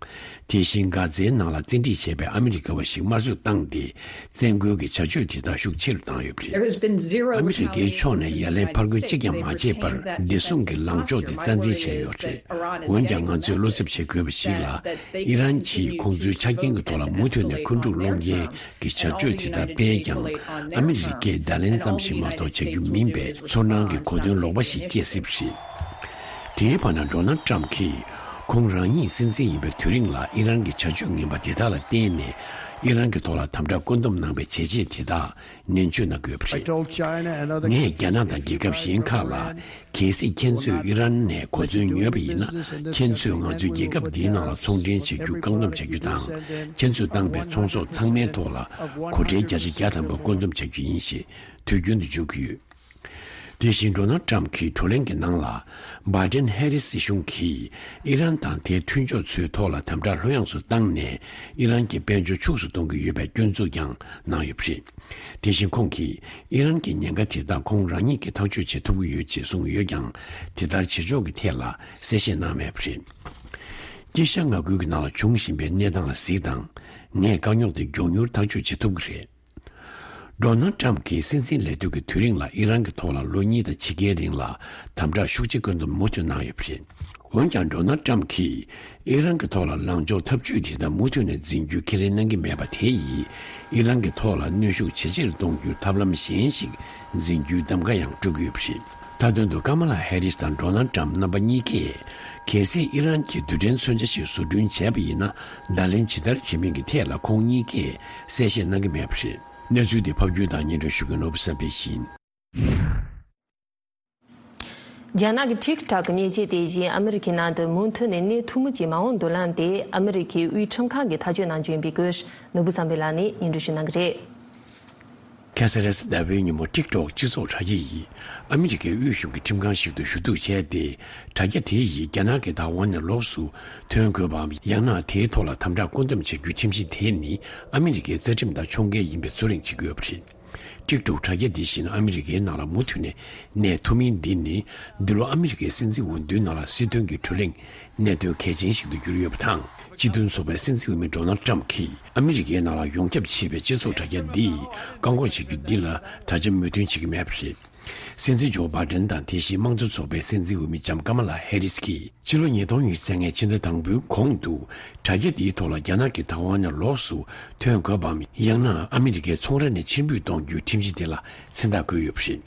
དེ་བཞིན་གྷ་ཛའི་ནང་ལ་བཙན་ཁྲིད་བྱས་པའི་ཨ་མི་རི་ཀ་བ་ཞིག་དམར་གསོད་བཏང་སྟེ། བཙན་རྒོལ་གྱི་བྱ་སྤྱོད་དེ་དག་ཤུགས་ཆེ་རུ་བཏང་ཡོད་པ་རེད། There has been zero ཨ་མི་རི་ཀའི་ཕྱོགས་ནས་ཡ་ལན་ཕར་རྒོལ་གཅིག་ཀྱང་མ་བྱས་པར། བདེ་སྲུང་གི་ལངས་ཕྱོགས་དེ་རྩ་འཛིན་བྱས་ཡོད་རེད། འོན་ཀྱང་། ང་ཚོས་བློ་འཚབ་བྱེད་དགོས་པ་ཞིག་ལ། ཨི་རན་གྱིས་ཁོང་ཚོའི་ཆ་རྐྱེན་གྱི་ཐོག་ལ་མུ་མཐུད་ནས་འཁོན་འཁྲུག་སློང་མཁན་གྱི་བྱ་སྤྱོད་དེ་དག་སྤེལ་ཀྱང་། ཨ་མི་རི་ཀས་བརྡ་ལན་ཙམ་ཞིག་མ་གཏོགས་བྱ་རྒྱུ་མིན་པས། ཚོར་སྣང་གི་གོ་དོན་ལོག་པ་ཞིག་སྐྱེ་སྲིད་པ་རེད། དེའི་བར་ན་ཌོ་ནལ་ཊམ་གྱིས་ཁོང་རང་ཉིད་སྲིད་འཛིན་ཡིན་པའི་དུས་རིང་ལ་ཨི་རན་གྱི་བྱ་སྤྱོད་ངན་པ་དེ་དག་ལ་བརྟེན་ནས་ཨི་རན་གྱི་ཐོག་ལ་དམ་དྲག་བཀོད་འདོམས་གནང་པའི་བྱས་རྗེས་དེ་དག་ནན་བརྗོད་གནང་དགོས་པ་རེད། ངས་རྒྱ་ནག་དང་རྒྱལ་ཁབ་གཞན་ཁག་ལ། གལ་སྲིད་ཁྱེད་ཚོས་ཨི་རན་ནས་གོ་མཚོན་ཉོས་པ་ཡིན་ན། ཁྱེད་ཚོས་ང་ཚོའི་རྒྱལ་ཁབ་འདིའི་ནང་ལ་ཚོང་འབྲེལ་བྱ་རྒྱུ་བཀག་སྡོམ་བྱ་རྒྱུ་དང་། ཁྱེད་ཚོས་བཏང་པའི་ཚོང་ཟོག་ཚང་མའི་ཐོག་ལ་གོ་ཁྲལ་བརྒྱ་ཆ་བརྒྱ་ཐམ་པ་བཀོད་འདོམས་བྱ་རྒྱུ་ཡིན་ཞེས་དུས་རྒྱུན་དུ་བརྗོད་ཀྱི་ཡོད། དེ་བཞིན་ཌོ་ནལ་ཊམ་གྱིས་བགྲོ་གླེང་གི་ནང་ལ། བྷའི་ཌེན་ཧེ་རིས་སྲིད་གཞུང་གིས་ཨི་རན་དང་དེའི་མཐུན་ཕྱོགས་ཚོའི་ཐོག་ལ་དམ་དྲག་ལྷོད་ཡངས་སུ་བཏང་ནས། ཨི་རན་གྱི་དཔལ་འབྱོར་ཕྱུགས་སུ་གཏོང་གི་ཡོད་པའི་སྐྱོན་འཛུགས་ཀྱང་གནང་ཡོད་པ་རེད། དེ་བཞིན་ཁོང་གིས་ཨི་རན་གྱི་ཉེན་ཁ་དེ་དག་ཁོང་རང་ཉིད་ཀྱིས་ཐག་གཅོད་བྱེད་ཐུབ་ཀྱི་ཡོད་ཅེས་གསུངས་ཡོད་ཀྱང་། དེ་ལྟར་བྱེད་ཕྱོགས་ཀྱི་ཐད་ལ་གསལ་བཤད་གནང་མེད་པ་རེད། དཀྱིལ་ཤར་མངའ་ཁུལ་གྱི་ནང་ལ་འབྱུང་བཞིན་པའི་གནས་སྟངས་ལ་གཟིགས་དང་། ངས་དཀའ་རྙོག་དེ་མགྱོགས་མྱུར་ཐག་གཅོད་བྱེད་ཐུབ་ཀྱི་རེད། ཌོ་ནལ་ཊམ་གྱིས་སྲིད་འཛིན་ལས་དུས་ཀྱི་དུས་རིང་ལ་ཨི་རན་གྱི་ཐོག་ལ་ལོ་གཉིས་དང་ཕྱེད་ཀའི་རིང་ལ་དམ་དྲག་ཤུགས་ཆེ་བཀོད་འདོམས་མུ་མཐུད་གནང་ཡོད་པ་རེད། འོན་ཀྱང་ཌོ་ནལ་ཊམ་གྱིས་ཨི་རན་གྱི་ཐོག་ལ་ལངས་ཕྱོགས་འཐབ་ཇུས་དེ་དག་མུ་མཐུད་ནས་འཛིན་རྒྱུ་ཁས་ལེན་གནང་གི་མེད་པ་དེ་ཡིས་ཨི་རན་གྱི་ཐོག་ལ་གནོན་ཤུགས་ཇེ་ཆེར་གཏོང་རྒྱུར་ཐབས་ལམ་གཞན་ཞིག་འཛིན་རྒྱུའི་གདམ་ག་ཡང་སྤྲོད་ཀྱི་ཡོད་པ་རེད། མཐའ་དོན་དུ་ཀ་མ་ལ་ཧེ་རིས་དང་ཌོ་ནལ་ཊམ་རྣམ་པ་གཉིས་ཀས། གལ་སྲིད་ཨི་རན་གྱིས་རྡུལ་ཕྲན་མཚོན་ཆ་ཞིག་བཟོ་སྐྲུན་བྱས་པ་ཡིན་ན། བརྡ་ལན་ཇི་ལྟར་བྱེད་མིན་གྱི་ཐད་ལ་ཁོང་གཉིས་ཀས་གསལ་བཤད་གནང་གི་མེད་པ་རེད། གནས་ཚུལ་འདི་ཕབ་སྒྱུར་དང་སྙན་སྒྲོན་ཞུ་མཁན་ནོར་བུ་བསམ་འཕེལ་ཡིན། རྒྱ་ནག་གི་ཊིག་ཊོག་གི་མཉེན་ཆས་དེ་བཞིན་ཨ་མི་རི་ཀའི་ནང་དུ་མུ་མཐུད་ནས་གནས་ཐུབ་མུས་ཀྱི་མ་འོངས་མདུན་ལམ་དེ་ཨ་མི་རི་ཀའི་དབུས་ཁྲིམས་ཁང་གིས་ཐག་གཅོད་གནང་རྒྱུ་ཡིན་པའི་སྐོར་ནོར་བུ་བསམ་འཕེལ་ལགས་ནས་སྙན་སྒྲོན་ཞུ་གནང་གི་རེད། ཁ་ས་ར་སི་ཟླ་བའི་ཉིན་མོ་ཊིག་ཊོག་སྤྱི་ཚོགས་དྲ་རྒྱ་ཡིས་ཨ་མི་རི་ཀའི་དབུས་གཞུང་གི་ཁྲིམས་ཁང་ཞིག་ཏུ་ཞུ་གཏུག་བྱས་ཏེ། དྲ་རྒྱ་དེ་ཡིས་རྒྱ་ནག་གི་བདག་དབང་ནས་ལོགས་སུ་ཐོན་དགོས་པའམ། ཡང་ན་དེའི་ཐོག་ལ་དམ་དྲག་བཀོད་འདོམས་བྱ་རྒྱུའི་ཁྲིམས་གཞི་དེ་ནི་ཨ་མི་རི་ཀའི་རྩ་ཁྲིམས་དང་ཕྱོགས་འགལ་ཡིན་པའི་རྩོད་གླེང་བྱེད་ཀྱི་ཡོད་པ་རེད། ཊིག་ཊོག་དྲ་རྒྱ་འདི་བཞིན་ཨ་མི་རི་ཀའི་ནང་ལ་མུ་མཐུད་ནས་གནས་ཐུབ་མིན་འདི་ནི། འདི་ལོ་ཨ་མི་རི་ཀའི་སྲིད་འཛིན་འོས་བསྡུའི་ནང་ལ་སྲིད་དོན་གྱི་བགྲོ་གླེང་གནད་དོན་གལ་ཆེན་ཞིག་ཏུ་གྱུར་ཡོད་པ་དང་། སྤྱི་མཐུན་ཚོགས་པའི་སྲིད་འཛིན་འོས་མི་ཌོ་ནལ་ཊམ་གྱིས་ཨ་མི་རི་ཀའི་ནང་ལ་ཡོངས་ཁྱབ་ཆེ་བའི་སྤྱི་ཚོགས་དྲ་རྒྱ་འདིས་བཀག་འགོག་བྱེད་རྒྱུ་འདི་ལ་ད་ཆ་མོས་མཐུན་བྱེད་ཀྱི་མེད་པ་རེད། སྲིད་འཛིན་ཇོ་བྷའི་ཌེན་དང་དེ་བཞིན་དམངས་གཙོ་ཚོགས་པའི་སྲིད་འཛིན་འོས་མི་ལྕམ་ཀ་མ་ལ་ཧེ་རིས་ཀྱིས་ཕྱི་ལོ་ཉིས་སྟོང་ཉི་ཤུ་རྩ་ལྔའི་ཕྱི་ཟླ་དང་པོའི་གོང་དུ་དྲ་རྒྱ་འདིའི་ཐོག་ལ་རྒྱ་ནག་གི་བདག་དབང་ནས་ལོགས་སུ་ཐོན་དགོས་པའམ། ཡང་ན་ཨ་མི་རི་ཀའི་ཚོང་ར་ནས་ཕྱིར་འབུད་གཏོང་རྒྱུའི་ཁྲིམས་གཞི་དེ་ལ་མཚན་རྟགས་བཀོད་ཡོད་པ་རེད།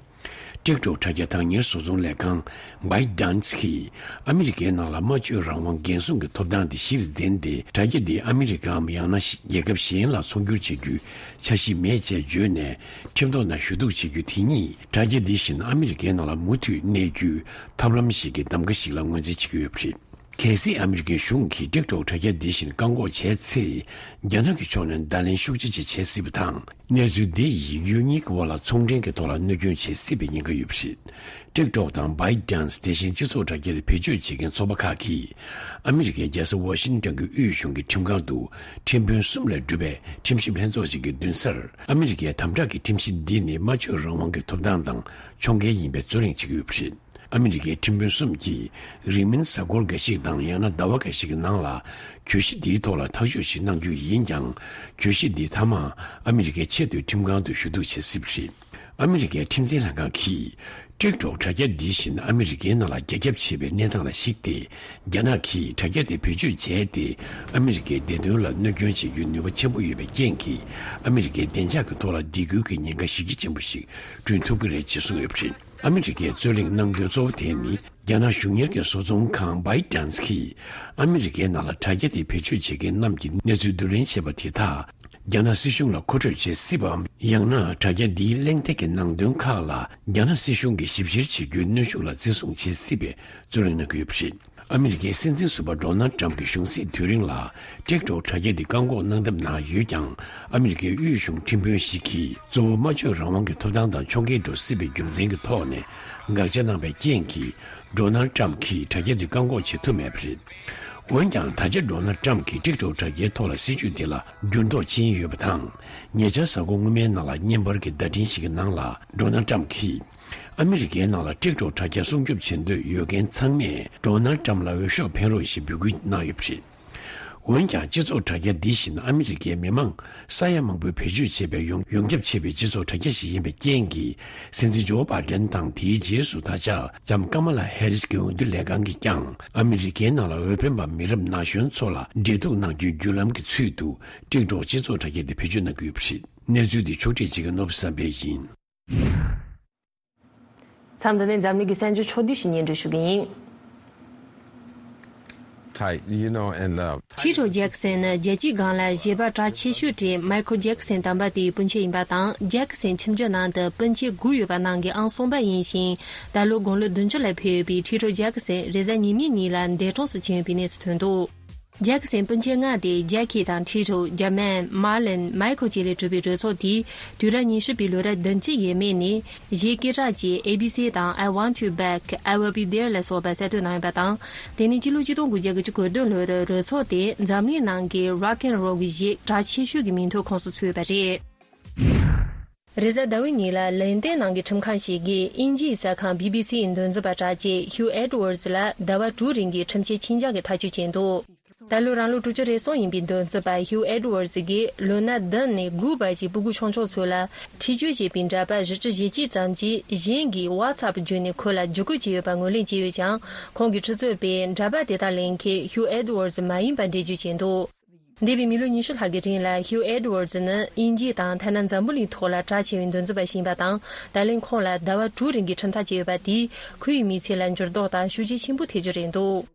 ཊིག་ཊོག་དྲ་རྒྱ་བདག་གཉེར་བཟོ་ཚོང་ལས་ཁང་བྷའི་ཌན་སི་གིས་ཨ་མི་རི་ཀའི་ནང་ལ་སྨྲ་བརྗོད་རང་དབང་འགན་སྲུང་གི་ཐོབ་ཐང་དེ་གཞིར་འཛིན་ཏེ། དྲ་རྒྱ་འདི་ཨ་མི་རི་ཀའམ་ཡང་ན་རྒྱལ་ཁབ་གཞན་ལ་ཚོང་སྒྱུར་བྱེད་རྒྱུའི་འཆར་གཞི་མེད་ཅེས་བརྗོད་ནས། ཁྲིམས་ཐོག་ནས་ཞུ་གཏུག་བྱེད་རྒྱུ་དེ་ཉིད་དྲ་རྒྱ་འདི་བཞིན་ཨ་མི་རི་ཀའི་ནང་ལ་མུ་མཐུད་གནས་རྒྱུའི་ཐབས་ལམ་ཞིག་གི་གདམ་ག་ཞིག་ལ་ངོས་འཛིན་བྱེད་ཀྱི་ཡོད་པ་རེད། གལ་སྲིད་ཨ་མི་རི་ཀའི་གཞུང་གིས་ཊིག་ཊོག་དྲ་རྒྱ་འདི་བཞིན་བཀག་འགོག་བྱས་ཚེ། རྒྱ་ནག་གི་ཕྱོགས་ནས་བརྡ་ལན་ཤུགས་ཆེ་ཅིག་བྱེད་སྲིད་པ་དང་། གནས་ཚུལ་འདི་ཡིས་ཡུལ་གཉིས་ཀྱི་དབར་ལ་ཚོང་འབྲེལ་གྱི་ཐོག་ལ་གནོད་སྐྱོན་བྱེད་སྲིད་པའི་ཉེན་ཁ་ཡོད་པ་རེད། ཊིག་ཊོག་དང་བྷའི་ཌན་སི་དེ་བཞིན་སྤྱི་ཚོགས་དྲ་རྒྱ་དེ་བེད་སྤྱོད་བྱེད་མཁན་ཚོགས་པ་ཁག་གིས། ཨ་མི་རི་ཀའི་རྒྱལ་ས་ཝ་ཤིང་ཏོན་གྱི་དབུས་གཞུང་གི་ཁྲིམས་ཁང་དུ་ཁྲིམས་དཔོན་གསུམ་ལས་གྲུབ་པའི་ཁྲིམས་ཞིབ་ལྷན་ཚོགས་ཤིག་གི་མདུན་སར། ཨ་མི་རི་ཀའི་དམ་དྲག་གི་ཁྲིམས་གཞི་འདི་ནི་སྨྲ་བརྗོད་རང་དབང་གི་ཐོབ་ཐང་དང་ཕྱོགས་འགལ་ཡིན་པའི་རྩོད་གླེང་བྱེད་ཀྱི་ཡོད་པ་རེད། ཨ་མི་རི་ཀའི་ཁྲིམས་དཔོན་གསུམ་གྱིས་རིང་མིན་གཟའ་འཁོར་འགའ་ཞིག་དང་ཡང་ན་ཟླ་བ་འགའ་ཞིག་གི་ནང་ལ་གྱོད་གཞི་འདིའི་ཐོག་ལ་ཐག་གཅོད་ཞིག་གནང་རྒྱུ་ཡིན་ཀྱང་། གྱོད་གཞི་འདི་མཐའ་མ་ཨ་མི་རི་ཀའི་ཆེས་མཐོའི་ཁྲིམས་ཁང་དུ་ཞུ་གཏུག་བྱེད་སྲིད་པ་རེད། ཨ་མི་རི་ཀའི་ཁྲིམས་འཛིན་ལྷན་ཁང་གིས་ཊིག་ཊོག་དྲ་རྒྱ་འདི་བཞིན་ཨ་མི་རི་ཀའི་ནང་ལ་རྒྱ་ཁྱབ་ཆེ་བའི་གནས་སྟངས་ལ་གཞིགས་ཏེ། རྒྱ་ནག་གིས་དྲ་རྒྱ་དེ་བེད་སྤྱོད་བྱས་ཏེ། ཨ་མི་རི་ཀའི་བདེ་དོན་ལ་གནོད་སྐྱོན་བྱེད་རྒྱུའི་ནུས་པ་ཆེན་པོ་ཡོད་པའི་རྐྱེན་གྱིས། ཨ་མི་རི་ཀའི་བདེ་འཇགས་ཀྱི་ཐོག་ལ་སྡིགས་སྐུལ་གྱི་ཉེན་ཁ་གཞི་རྒྱ་ཆེན་པོ་ཞིག་བསྐྲུན་ཐུབ་ཀྱི་རེད་ཅེས་གསུངས་ཡོད་པ་རེད། ཨ་མི་རི་ཀའི་རྩོད་གླེང་གནང་དོན་གཙོ་བོ་དེ་ནི། རྒྱ་ནག་གཞུང་གཉེར་གྱི་བཟོ་ཚོང་ཁང་བྷའི་ཌན་སི་གིས། ཨ་མི་རི་ཀའི་ནང་ལ་དྲ་རྒྱ་དེ་བེད་སྤྱོད་བྱེད་མཁན་རྣམས་ཀྱི་གནས་ཚུལ་བསྡུ་ལེན་བྱས་པ་དེ་དག་རྒྱ་ནག་སྲིད་གཞུང་ལ་མཁོ་སྤྲོད་བྱེད་སྲིད་པའམ། ཡང་ན་དྲ་རྒྱ་འདིའི་གླེང་སྟེགས་ཀྱི་ནང་དོན་ཁག་ལ་རྒྱ་ནག་སྲིད་གཞུང་གིས་ཞིབ་བཤེར་བྱེད་རྒྱུའི་གནོན་ཤུགས་ལ་བརྩི་སྲུང་བྱེད་སྲིད་པའི་རྩོད་གླེང་གནང་གི་ཡོད་པ་རེད། ཨ་མི་རི་ཀའི་སྲིད་འཛིན་ཟུར་པ་ཌོ་ནལ་ཊམ་གྱི་གཞུང་སྲིད་དུས་རིང་ལ། ཊིག་ཊོག་དྲ་རྒྱ་འདི་བཀག་འགོག་གནང་ཐབས་གནང་ཡོད་ཀྱང་། ཨ་མི་རི་ཀའི་དབུས་གཞུང་ཁྲིམས་དཔོན་ཞིག་གིས། གཙོ་བོ་སྨྲ་བརྗོད་རང་དབང་གི་ཐོབ་ཐང་དང་ཕྱོགས་འགལ་འགྲོ་སྲིད་པའི་རྒྱུ་མཚན་གྱི་ཐོག་ནས། དགག་བྱ་གནང་པའི་རྐྱེན་གྱིས། ཌོ་ནལ་ཊམ་གྱིས་དྲ་རྒྱ་འདི་བཀག་འགོག་བྱེད་ཐུབ་མེད་པ་རེད། འོན་ཀྱང་། ད་ཆ་ཌོ་ནལ་ཊམ་གྱིས་ཊིག་ཊོག་དྲ་རྒྱའི་ཐོག་ལ་སྲིད་ཇུས་དེ་ལ་འགྱུར་ལྡོག་ཕྱིན་ཡོད་པ་དང་། ཉེ་ཆར་གཟའ་འཁོར་སྔོན་མའི་ནང་ལ་བརྙན་པར་གྱི་བརྡ་འཕྲིན་ཞིག་གི་ནང་ལ། ཌོ་ནལ་ཊམ་གྱིས། ཨ་མི་རི་ཀའི་ནང་ལ་ཊིག་ཊོག་དྲ་རྒྱ་སྲུང་སྐྱོབ་བྱེད་འདོད་ཡོད་མཁན་ཚང་མས་ཌོ་ནལ་ཊམ་ལ་འོས་ཤོག་འཕེན་རོགས་ཞེས་འབོད་སྐུལ་གནང་ཡོད་པ་རེད། འོན་ཀྱང་། སྤྱི་ཚོགས་དྲ་རྒྱ་འདི་བཞིན་ཨ་མི་རི་ཀའི་མི་མང་ས་ཡ་མང་པོས་བེད་སྤྱོད་བྱེད་པའི་ཡོངས་ཡོངས་ཁྱབ་ཆེ་བའི་སྤྱི་ཚོགས་དྲ་རྒྱ་ཞིག་ཡིན་པའི་རྐྱེན་གྱིས། སྲིད་འཛིན་ཇོ་བྷའི་ཌེན་དང་། དེའི་རྗེས་སུ་ད་ཆ་ལྕམ་ཀ་མ་ལ་ཧེ་རིས་ཀྱི་འོས་བསྡུ་ལས་ཁང་གིས་ཀྱང་། ཨ་མི་རི་ཀའི་ནང་ལ་འོས་འཕེན་པ་མི་རབས་ན་གཞོན་ཚོ་ལ་འབྲེལ་གཏུག་གནང་རྒྱུའི་བརྒྱུད་ལམ་གྱི་ཚུལ་དུ། ཊིག་ཊོག་སྤྱི་ཚོགས་དྲ་རྒྱ་དེ་བེད་སྤྱོད་གནང་གི་ཡོད་པ་རེད། གནས་ཚུལ་འདི་ཕྱོགས་སྒྲིག་བྱེད་མཁན་ནོར་བུ་བསམ་འཕེལ་ཡིན། མཚམས་འདི་ནས་འཛམ་གླིང་གི་གསར་འགྱུར་ཕྱོགས་བསྡུས་ཤིག་སྙན་སྒྲོན་ཞུ་གི་ཡིན། I, you know, and love. ཁྲི་ཧྲོ་ཇེག་སན་ནི་རྒྱལ་སྤྱིའི་སྒང་ལ་བཞེད་པ་གྲགས་ཆེ་ཤོས་གྲས་མའི་ཁལ་ཇེག་སན་དམ་པ་དེའི་སྤུན་མཆེད་ཡིན་པ་དང་། ཇེག་སན་ཁྱིམ་རྒྱུད་ནང་དུ་སྤུན་མཆེད་དགུ་ཡོད་པ་ནང་གི་ཨང་གསུམ་པ་ཡིན་ཞིང་། ད་ལོ་དགུང་ལོ་བདུན་ཅུ་ལ་ཕེབས་ཡོད་པའི་ཁྲི་ཧྲོ་ཇེག་སན་རེས་གཟའ་ཉི་མའི་ཉིན་ལ་འདས་གྲོངས་སུ་ཕྱིན་ཡོད་པའི་གནས་སུ་ཐོན་འདུག་ཇེག་སན་སྤུན་མཆེད་ལྔ་དེ་ཇེ་ཁི་དང་ཁྲི་ཧྲོ། ཇར་མན། མར་ལིན། མའི་ཁལ་བཅས་ལས་གྲུབ་པའི་གྲོས་ཚོགས་དེས་དུས་རབས་ཉི་ཤུ་པའི་ལོ་རབས་བདུན་ཅུ་ཡས་མས་ནས་གཞས་སྐད་གྲགས་ཅན་ཨེ་བི་སི་དང་I Want You Back, I Will Be There ལ་སོགས་པ་གསར་གཏོད་གནང་ཡོད་པ་དང་། དེ་ནི་སྤྱི་ལོ་ཆིག་སྟོང་དགུ་བརྒྱ་དགུ་བཅུ་གོ་བདུན་ལོར་གྲོས་ཚོགས་དེས་འཛམ་གླིང་ནང་གི་རོག་ཨེན་རོལ་གྱི་གཞས་གྲགས་ཆེ་ཤོས་ཀྱི་མིང་ཐོའི་ཁོངས་སུ་ཚུད་ཡོད་པ་རེད། རེས་གཟའ་ཟླ་བའི་ཉིན་ལ་ལན་ཏན་ནང་གི་ཁྲིམས་ཁང་ཞིག་གིས་དབྱིན་ཇིའི་གསར་ཁང་བྷི་བྷི་སི་ཡི་འདོན་རྩིས་པ་གྲགས་ཅན་ཧིའུ་ཨེ་ཌི་ཝར་ཛི་ལ་ཟླ་བ་དྲུག་རིང་གི་ཁྲིམས་ཆད་ཆིག་འཇག་གི་ཐག་གཅོད་བྱས་འདུག་ད་ལོ་རང་ལོ་དྲུག་ཅུ་རེ་གསུམ་ཡིན་པའི་འདོན་རྩིས་པ་ཧིའུ་ཨེ་ཌི་ཝར་ཛི་གིས་ལོ་ན་བདུན་ནས་དགུ་བར་གྱི་སྤུ་གུ་ཆུང་ཆུང་ཚོ་ལ་འཁྲིག་སྤྱོད་བྱེད་པའི་འདྲ་པར་བཞི་བཅུ་ཞེ་གཅིག་ཙམ་གྱིས་གཞན་གྱིས་ཝ་ཚབ་བརྒྱུད་ནས་ཁོ་ལ་བརྒྱུད་སྐུལ་བྱས་ཡོད་པ་ངོས་ལེན་བྱས་ཡོད་ཀྱང་། ཁོང་གི་ཁྲི་ཚོས་པས་འདྲ་པར་དེ་དག་ལེན་མཁན་ཧིའུ་ཨེ་ཌི་ཝར་ཛི་མ་ཡིན་པ་འགྲེལ་བརྗོད་བྱས་འདུག་འདས་པའི་མི་ལོ་ཉི་ཤུ་ལྷག་གི་རིང་ལ་ཧིའུ་ཨེ་ཌི་ཝར་ཛི་ནི་དབྱིན་ཇི་དང་ཐ་ན་འཛམ་བུ་གླིང་ཐོག་ལ་གྲགས་ཆེ་བའི་འདོན་རྩིས་པ་ཞིག་ཡིན་པ་དང་། ད་ལན་ཁོང་ལ་ཟླ་བ་དྲུག་རིང་གི་ཁྲིམས་ཐག་བཅད་ཡོད་པ་དེས་ཁོའི་མི་ཚེ་ལ་འགྱུར་ལྡོག་དང་ཤུགས་རྐྱེན་ཆེན་པོ་ཐེབས་རྒྱུ་རེད་འདུག་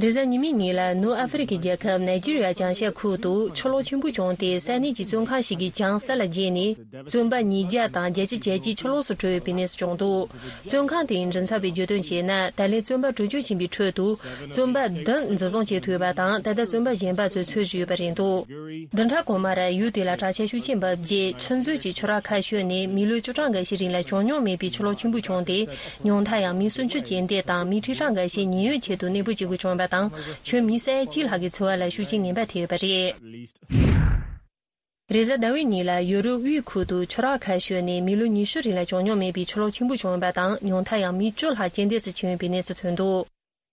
རེས་གཟའ་ཉི་མའི་ཉིན་ལ་ནུབ་ཨ་ཧྥེ་རི་ཁའི་རྒྱལ་ཁབ་ནཱི་ཇི་རི་ཡ་བྱང་ཤར་ཁུལ་དུ་ཆུ་ལོག་ཆེན་པོ་བྱུང་སྟེ། ས་གནས་ཀྱི་བཙོན་ཁང་ཞིག་གི་བྱང་ས་ལ་རྒྱས་ནས། བཙོན་པ་ཉིས་བརྒྱ་དང་བརྒྱད་ཅུ་གྱ་གཅིག་ཆུ་ལོག་སུ་བྲོས་ཡོད་པའི་གནས་སུ་བྱུང་འདུག་བཙོན་ཁང་དེའི་མགྲིན་ཚབ་པས་བརྗོད་དོན་བྱས་ན། ད་ལན་བཙོན་པ་བྲོས་བྱོལ་ཕྱིན་པའི་ཁྲོད་དུ་བཙོན་པ་བདུན་འཛིན་བཟུང་བྱེད་ཐུབ་ཡོད་པ་དང་། ད་ལྟ་བཙོན་པ་གཞན་པ་ཚོས་འཚོལ་བཞིན་ཡོད་པ་རེད་འདུག་བདུན་ཕྲག་གོང་མར་ཡུལ་དེ་ལ་དྲག་ཆས་ཤུགས་ཆེན་བབས་རྗེས། ཆུ་མཛོད་ཀྱི་ཆུ་རགས་ཁ་ཤོད་ནས་མི་ལོ་བཅུ་གྲངས་འགའ་ཤས་རིང་ལ་བྱུང་མྱོང་མེད་པའི་ཆུ་ལོག་ཆེན་པོ་བྱུང་སྟེ། ཉུང་མཐར་ཡང་མི་སུམ་ཅུ་རྐྱེན་འདས་དང་མི་ཁྲི་གྲངས་འགའ་ཤས་ཉེན་གཡོལ་ཆེད་དུ་གནས་སྤོ་བྱེད་དགོས་བྱུང་བ་དང་། ཁྱོན་མི་ས་ཡ་གཅིག་ལྷག་གི་འཚོ་བ་ལ་ཤུགས་རྐྱེན་ངན་པ་ཐེབས་ཡོད་པ་རེད། རེས་གཟའ་ཟླ་བའི་ཉིན་ལ་ཡུ་རོབ་དབུས་ཁུལ་དུ་ཆུ་རགས་ཁ་ཤོད་ནས་མི་ལོ་ཉི་ཤུ་རིང་ལ་བྱུང་མྱོང་མེད་པའི་ཆུ་ལོག་ཆེན་པོ་བྱུང་ཡོད་པ་དང་། ཉུང་མཐར་ཡང་མི་བཅུ་ལྷག་རྐྱེན་འདས་སུ་ཕྱིན་ཡོད་པའི་གནས་ཚུལ་ཐོན་འདུག་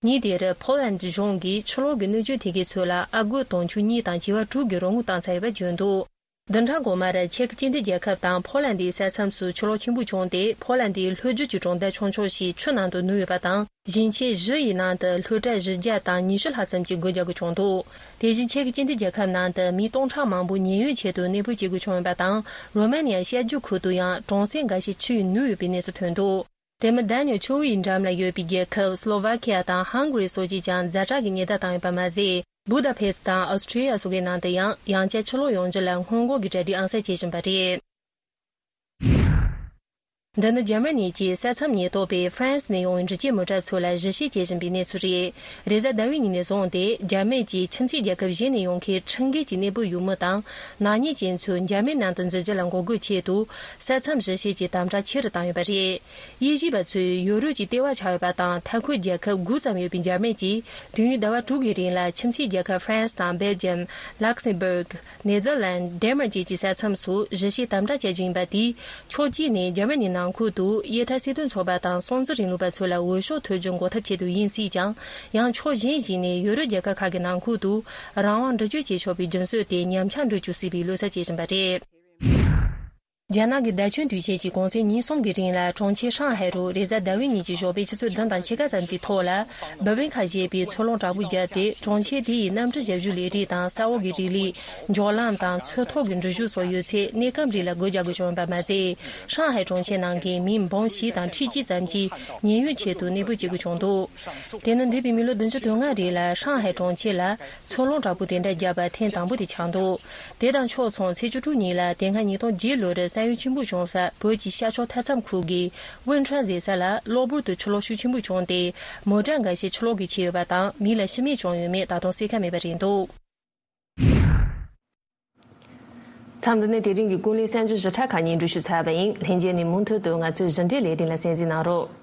ཉིན་དེར་ཕོ་ལན་གཞུང་གིས་ཆུ་ལོག་གི་གནོད་སྐྱོན་ཐེབས་མཁན་ཚོ་ལ་ཨ་སྒོར་དུང་ཕྱུར་གཉིས་དང་བྱི་བ་དྲུག་གི་རོགས་དངུལ་བཏང་ཚར་ཡོད་པ་བརྗོད་འདུག་བདུན་ཕྲག་འགོ་མར་ཅེཀ་སྤྱི་མཐུན་རྒྱལ་ཁབ་དང་ཕོ་ལན་དེའི་ས་མཚམས་སུ་ཆུ་ལོག་ཆེན་པོ་བྱུང་སྟེ། ཕོ་ལན་དེའི་ལྷོ་རྒྱུད་ཀྱི་གྲོང་རྡལ་ཆུང་ཆུང་ཞིག་ཆུ་ནང་དུ་ནུབ་ཡོད་པ་དང་། ཞིང་ཆེན་བཞི་ཡི་ནང་དུ་སློབ་གྲྭ་བཞི་བརྒྱ་དང་ཉི་ཤུ་ལྷག་ཙམ་གྱིས་སྒོ་རྒྱག་དགོས་བྱུང་འདུག་དེ་བཞིན་ཅེཀ་སྤྱི་མཐུན་རྒྱལ་ཁབ་ནང་དུ་མི་སྟོང་ཕྲག་མང་པོ་ཉེན་གཡོལ་ཆེད་དུ་གནས་སྤོ་བྱེད་དགོས་བྱུང་ཡོད་པ་དང་། རོ་མ་ནི་ཡ་ཤར་རྒྱུད་ཁུལ་དུ་ཡང་གྲོང་གསེབ་འགའ་ཤས་ཆུ་ཡིས་ནུབ་ཡོད་པའི་གནས་སུ་ཐོན་འདུག་དེ་མིན། དན་ནི་ཡ་ཆུ་བོ་ཡི་འགྲམ་ལ་ཡོད་པའི་རྒྱལ་ཁབ་སློ་ཝ་ཁི་ཡ་དང་ཧང་གྷ་རི་སོགས་ཀྱིས་ཀྱང་ཛ་དྲག་གི་ཉེན་བརྡ་བཏང་ཡོད་པ་མ་ཟད། བུ་ད་ཕེ་སི་དང་ཨོ་སི་ཁྲི་ཡ་སོགས་ཀྱི་ནང་དུ་ཡང་ཡང་བསྐྱར་ཆུ་ལོག་ཡོང་རྒྱུ་ལ་སྔོན་འགོག་གི་གྲ་སྒྲིག་ཨང་གསར་བྱེད་བཞིན་པ་རེད། འདི་ནི་འཇར་མ་ནི་གྱི་ས་མཚམས་ཉེན་རྟོག་པས་ཧྥ་རན་སི་ནས་ཡོང་བའི་འགྲུལ་སྐྱེལ་མོ་ཊ་ཚོ་ལ་གཞི་བྱེད་བྱེད་བཞིན་པའི་གནས་ཚུལ་རེད། རེས་གཟའ་ཟླ་བའི་ཉིན་ནས་བཟུང་སྟེ་འཇར་མན་གྱི་ཁྱིམ་མཚེས་རྒྱལ་ཁབ་གཞན་ནས་ཡོང་མཁན་ཁྲིམས་འགལ་གྱི་གནས་སྤོ་ཡུལ་མི་དང་ནག་ཉེས་ཅན་ཚོས་འཇར་མན་ནང་དུ་འཛུལ་རྒྱུ་ལ་འགོག་རྒོལ་ཆེད་དུ་ས་མཚམས་གཞི་བྱེད་ཀྱི་དམ་དྲག་ཆེ་རུ་བཏང་ཡོད་པ་རེད། དབྱེ་ཞིབ་པ་ཚོས་ཡོ་རོབ་ཀྱི་ལྟེ་བ་ཆགས་ཡོད་པ་དང་མཐའ་འཁོར་རྒྱལ་ཁབ་དགུ་ཙམ་ཡོད་པའི་འཇར་མན་གྱིས་དུས་ཡུན་ཟླ་བ་དྲུག་གི་རིང་ལ་ཁྱིམ་མཚེས་རྒྱལ་ཁབ་ཧྥ་རན་སི་དང་སྦེལ་ཇམ། ལག་སེམ་སྦུག་ནེ་ཐར་ལན། ཌེན་མར་བཅས་ཀྱི་ས་མཚམས་སུ་གཞི་བྱེད་དམ་དྲག་བྱ་རྒྱུ་ཡིན་པ་དེས། ཕྱོགས་གཅིག་ནས་འཇར་མ་ནི་ནང་ཁུལ་དུ་དབྱེ་ཐར་སྲིད་དོན་ཚོགས་པ་དང་སྲོང་བཙན་རིང་ལུགས་པ་ཚོ་ལ་འོས་ཤོག་ཐོབ་རྒྱུ་འགོག་ཐབས་ཆེད་དུ་ཡིན་སྲིད་ཀྱང་། ཡང་ཕྱོགས་གཞན་ཞིག་ནས་ཡོ་རོབ་རྒྱལ་ཁབ་ཁག་གི་ནང་ཁུལ་དུ་རང་དབང་འདྲི་གཅོད་བྱེད་ཆོག་པའི་རྒྱུ་མཚན་དེ་ཉམས་ཆག་འགྲོ་བཅུག་སྲིད་པའི་བློ་འཚབ་བྱེད་བཞིན་པ་རེད། རྒྱ་ནག་གི་བརྡ་བརྒྱུད་དུས་ཆེན་གྱི་གུང་སེང་ཉིན་གསུམ་གྱི་རིང་ལ་གྲོང་ཁྱེར་ཧྲང་ཧའེ་རུ་རེས་གཟའ་ཟླ་བའི་ཉིན་གྱི་ཞོགས་པའི་ཆུ་ཚོད་བདུན་དང་ཕྱེད་ཀ་ཙམ་གྱི་ཐོག་ལ། བུ་བན་ཁ་ཞེས་པའི་མཚོ་རླུང་དྲག་པོ་བརྒྱབ་སྟེ། གྲོང་ཁྱེར་དེ་ཡི་གནམ་གྲུ་བཞག་རྒྱུ་ལས་རིགས་དང་ས་འོག་གི་རི་ལི། འཇོག་ལམ་དང་མཚོ་ཐོག་གི་འགྲུལ་བཞུད་སོགས་ཡོད་ཚད་གནས་སྐབས་རིང་ལ་སྒོ་རྒྱག་དགོས་བྱུང་བ་མ་ཟད། ཧྲང་ཧའེ་གྲོང་ཁྱེར་ནང་གི་མི་འབུམ་བཞི་དང་ཁྲི་གཅིག་ཙམ་གྱིས་ཉེན་གཡོལ་ཆེད་དུ་གནས་སྤོ་བྱེད་དགོས་བྱུང་འདུག་དེ་ནི་འདས་པའི་མི་ལོ་བདུན་ཅུ་དོན་ལྔ་རིང་ལ་ཧྲང་ཧའེ་གྲོང་ཁྱེར་ལ་མཚོ་རླུང་དྲག་པོ་དེ་འདྲ་བརྒྱབ་པ་ཐེངས་དང་པོ་དེ་ཆགས་འདུག་དེ་དང་ཕྱོགས་མཚུངས་ཚེས་བཅུ་དྲུག་ཉིན་ལ་དེ་སྔ་ཉིས་སྟོང་བརྒྱད་ལོར་ས་ཡུལ་ཆེན་པོ་བྱུང་ས་བོད་ཀྱི་ཤར་ཕྱོགས་མཐའ་མཚམས་ཁུལ་གྱི་ཝུན་ཁྲོན་ཟེར་ས་ལ་གློ་བུར་དུ་ཆུ་ལོག་ཤུགས་ཆེན་པོ་བྱུང་སྟེ། མོ་ཊ་འགའ་ཤས་ཆུ་ལོག་གིས་ཁྱེར་ཡོད་པ་དང་། མི་ལ་ཤི་རྨས་བྱུང་ཡོད་མེད་ད་དུང་གསལ་ཁ་མེད་པ་རེད་འདུག་མཚམས་འདི་ནས་དེ་རིང་གི་ཀུན་གླེང་གསར་འགྱུར་ཞིབ་ཕྲ་ཁག་སྙན་སྒྲོན་ཞུས་ཚར་བ་ཡིན། ལྷན་རྒྱས་ནས་མུ་མཐུད་དུ་ང་ཚོའི་ཟིན་བྲིས་ལས་རིམ་ལ་གསན་གཟིགས་གནང་རོགས།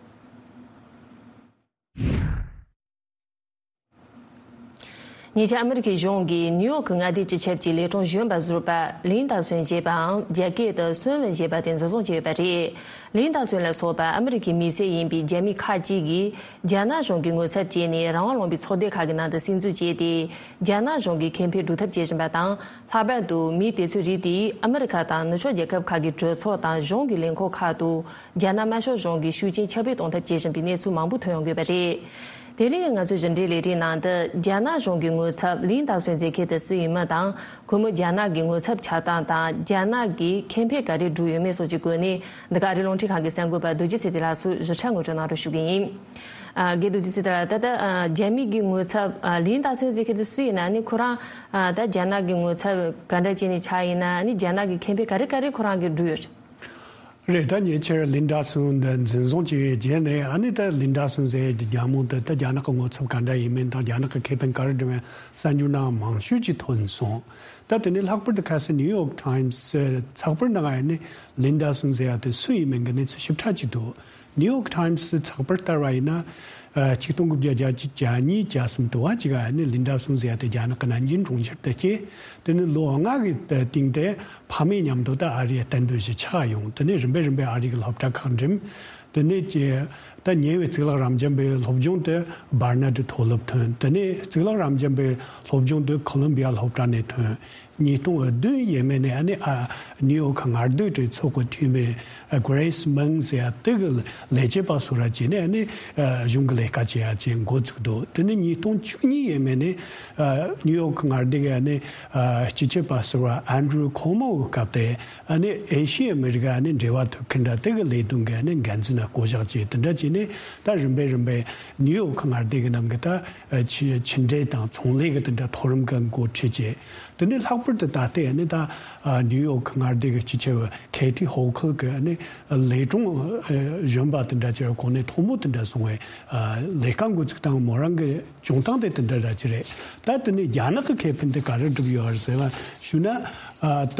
ཉེ་ཆར་ཨ་མི་རི་ཀའི་གཞུང་གིས་ནིའུ་ཡོག་གི་མངའ་སྡེ་སྤྱི་ཁྱབ་ཀྱི་ལས་གྲངས་གཞོན་པ་ཟུར་པ་ལིན་ཏཱ་སུན་ཞེས་པའམ་རྒྱ་སྐད་དུ་སུན་ཝེན་ཞེས་པ་དེ་འཛིན་བཟུང་བྱས་ཡོད་པ་རེད། ལིན་ཏཱ་སུན་ལ་སོགས་པ་ཨ་མི་རི་ཀའི་མི་སེར་ཡིན་པའི་རྒྱ་མི་ཁག་ཅིག་གིས་རྒྱ་ནག་གཞུང་གི་ངོ་ཚབ་བྱས་ནས་རང་དབང་ལུང་པའི་ཚོགས་སྡེ་ཁག་གི་ནང་དུ་སིམ་འཛུལ་བྱས་ཏེ། རྒྱ་ནག་གཞུང་གི་ཁེ་ཕན་སྒྲུབ་ཐབས་བྱེད་བཞིན་པ་དང་། ལྷག་པར་དུ་མི་དེ་ཚོའི་རིགས་དེས་ཨ་མི་རི་ཁ་དང་ནུབ་ཕྱོགས་རྒྱལ་ཁབ་ཁག་གི་གྲོས་ཚོགས་དང་གཞུང་གི་ལས་ཁུངས་ཁག་ཏུ་རྒྱ་ནག་དམར་ཤོག་གཞུང་གིས་ཤུགས་རྐྱེན་ཁྱབ་སྤེལ་གཏོང་ཐབས་བྱེད་བཞིན་པའི་གནས་ཚུལ་མང་པོ་ཐོན་ཡོང་གི་ཡོད་པ་རེད། དེ་རིང་ང་ཚོའི་ཕྱི་འབྲེལ་ལས་རིམ་ནང་དུ་རྒྱ་ནག་གཞུང་གི་ངོ་ཚབ་ལིན་ཏ་སུན་མཛད་མཁན་དེ་སུ་ཡིན་མིན་དང་། ཁོ་མོས་རྒྱ་ནག་གི་ངོ་ཚབ་བྱེད་སྟངས་དང་རྒྱ་ནག་གིས་ཁེ་ཕན་ག་རེ་བསྒྲུབས་ཡོད་མེད་སོགས་ཀྱི་སྐོར་ནས་འདི་ག་ཨ་རིའི་རླུང་འཕྲིན་ཁང་གི་གསར་འགོད་པ་རྡོ་རྗེ་ཚེ་བརྟན་ལགས་སུ་ཞིབ་ཕྲ་ངོ་སྤྲོད་གནང་རོགས་ཞུ་གི་ཡིན། ཨ། རྒན་རྡོ་རྗེ་ཚེ་བརྟན་ལགས། ད་ལྟ་ཨ། རྒྱ་མི་གི་ངོ་ཚབ་ཨ། ལིན་ཏ་སུན་མཛད་མཁན་དེ་སུ་ཡིན་ན་ནི་ཁོ་རང་ཨ། ད་རྒྱ་ནག་གི་ངོ་ཚབ་ག་འདྲ་བྱས་ནས་ཆགས་ཡིན་ན་ནི་རྒྱ་ནག་གི་ཁེ་ཕན་ག་རེ་ག་རེ་ཁོ་རང་གིས་བསྒྲུབས་ཡོད། རེད། ད་ཉེ་ཆར་ལིན་ཏ་སུན་འདི་འཛིན་བཟུང་བྱས་པའི་རྗེས་ནས་ཨ་ནི་ད་ལིན་ཏ་སུན་ཟེར་ཡ་གི་རྒྱལ་མོ་འདི་ད་རྒྱ་ནག་གི་ངོ་ཚབ་ག་འདྲ་ཡིན་མིན་དང་རྒྱ་ནག་གི་ཁེ་ཕན་ག་རེ་བསྒྲུབས་ཡོད་གསར་འགྱུར་ནང་མང་ཤོས་ཅིག་ཐོན་སོང་། ད་དེ་ནས་ལྷག་པར་དུ་ཁ་སང་ནིའུ་ཡོག་ཊའིམ་སི་ཚགས་པར་ནང་ཨ་ནི་ལིན་ཏ་སུན་ཟེར་ཡ་དེ་སུ་ཡིན་མིན་གྱི་གནས་ཚུལ་ཞིབ་ཕྲ་ཅིག་འདུག་ནིའུ་ཡོག་ཊའིམ་སི་ཚགས་པར་ལྟར་བ་ཡིན་ན། ཨ། ཆིག་སྟོང་དགུ་བརྒྱ་བརྒྱད་ཅུ་གྱ་གཉིས་གྱ་གསུམ་དུ་བ་ཅིག་ཨ་ནི་ལིན་ཏ་སུན་ཟེར་ཡ་དེ་རྒྱ་ནག་གི་ནན་ཅིང་གྲོང་ཁྱེར་དུ་སྐྱེས། དེ་ནས་ལོ་ལྔ་གི་སྟེང་དེ་ཕ་མའི་མཉམ་དུ་ད་ཨ་རིའི་གཏན་སྡོད་བཞིན་ཆགས་ཡོང་། དེ་ནས་རིམ་པས་རིམ་པས་ཨ་རི་གི་སློབ་གྲྭ་ཁག་འགྲིམས། དེ་ནས་ཀྱི་ད་ཉེ་བའི་གཙུག་ལག་རབ་འབྱམས་པའི་སློབ་སྦྱོང་དེ་བར་ན་ཌི་མཐོ་སློབ་ཐོན། དེ་ནས་གཙུག་ལག་རབ་འབྱམས་པའི་སློབ་སྦྱོང་དེ་ཁོ་ལོམ་བི་ཡ་སློབ་གྲྭ་ནས་ཐོན། ཉིས་སྟོང་བདུན་ཡས་མས་ནས་ཨ་ནི་ཨ་ནིའུ་ཡོག་མངའ་སྡེའི་གྲོས་ཚོགས་ཀྱི་འཐུས་མི་ཨ་གྷི་རེ་སི་མིང་ཟེར་ཡ་དེ་གི་ལས་བྱེད་པ་བཟོ་ར་བྱས་ནས་ཨ་ནི་ཨ་གཞུང་གི་ལས་ཀ་བྱེད་ཡ་བྱས་འགོ་བཙུགས་འདུག་དེ་ནས་ཉིས་སྟོང་བཅུ་གཉིས་ཡས་མས་ནས་ཨ་ནིའུ་ཡོག་མངའ་སྡེ་གི་ཨ་ནི་ཨ་སྤྱི་ཁྱབ་པ་ཟུར་པ་ཨན་ཌྲུ་ཁོ་མོ་གི་སྐབས་དེ་ཨ་ནི་ཨེ་ཤི་ཡ་ཨ་མི་རི་ཀ་ཨ་ནི་འབྲེལ་བ་མཐུད་མཁན་འདྲ་དེ་གི་ལས་དོན་གི་ཨ་ནི་འགན་འཛིན་ལ་བསྐོ་གཞག་བྱས། དེ་འདྲ་བྱས་ནས་ད་རིམ་པས་རིམ་པས་ནིའུ་ཡོག་མངའ་སྡེ་གི་ནང་གི་ད་ཨ་ཕྱི་ཕྱི་འབྲེལ་དང་ཚོང་ལས་གི་དེ་འདྲ་མཐོ་རིམ་གི་འགོ་ཁྲིད་བྱས། དེ་ནས་ལྷག་པར་དུ་ད་ལྟའི་ཨ་ནི་ད་ཨ་ནིའུ་ཡོག་མངའ་སྡེ་གི་སྤྱི་ཁྱབ་ཁེ་ཐི་ཧོ་ཁལ་གི་ཨ་ནི་ལས་དྲུང་ཨ་གཞོན་པ་དེ་འདྲ་ཅིག་གོ་གནས་མཐོ་མོ་དེ་འདྲ་སོང་བའི་ཨ་ལས་ཀ་འགོ་བཙུགས་སྟངས་མོ་རང་གི་བྱུང་སྟངས་དེ་དེ་འདྲ་ར་ཅིག་རེད། ད་དེ་ནས་རྒྱ་ནག་གི་ཁེ་ཕན་དེ་ག་རེ་བསྒྲུབས་ཡོད་རེད་ཟེར་བ་ཞུ་ན། ཨ་ད་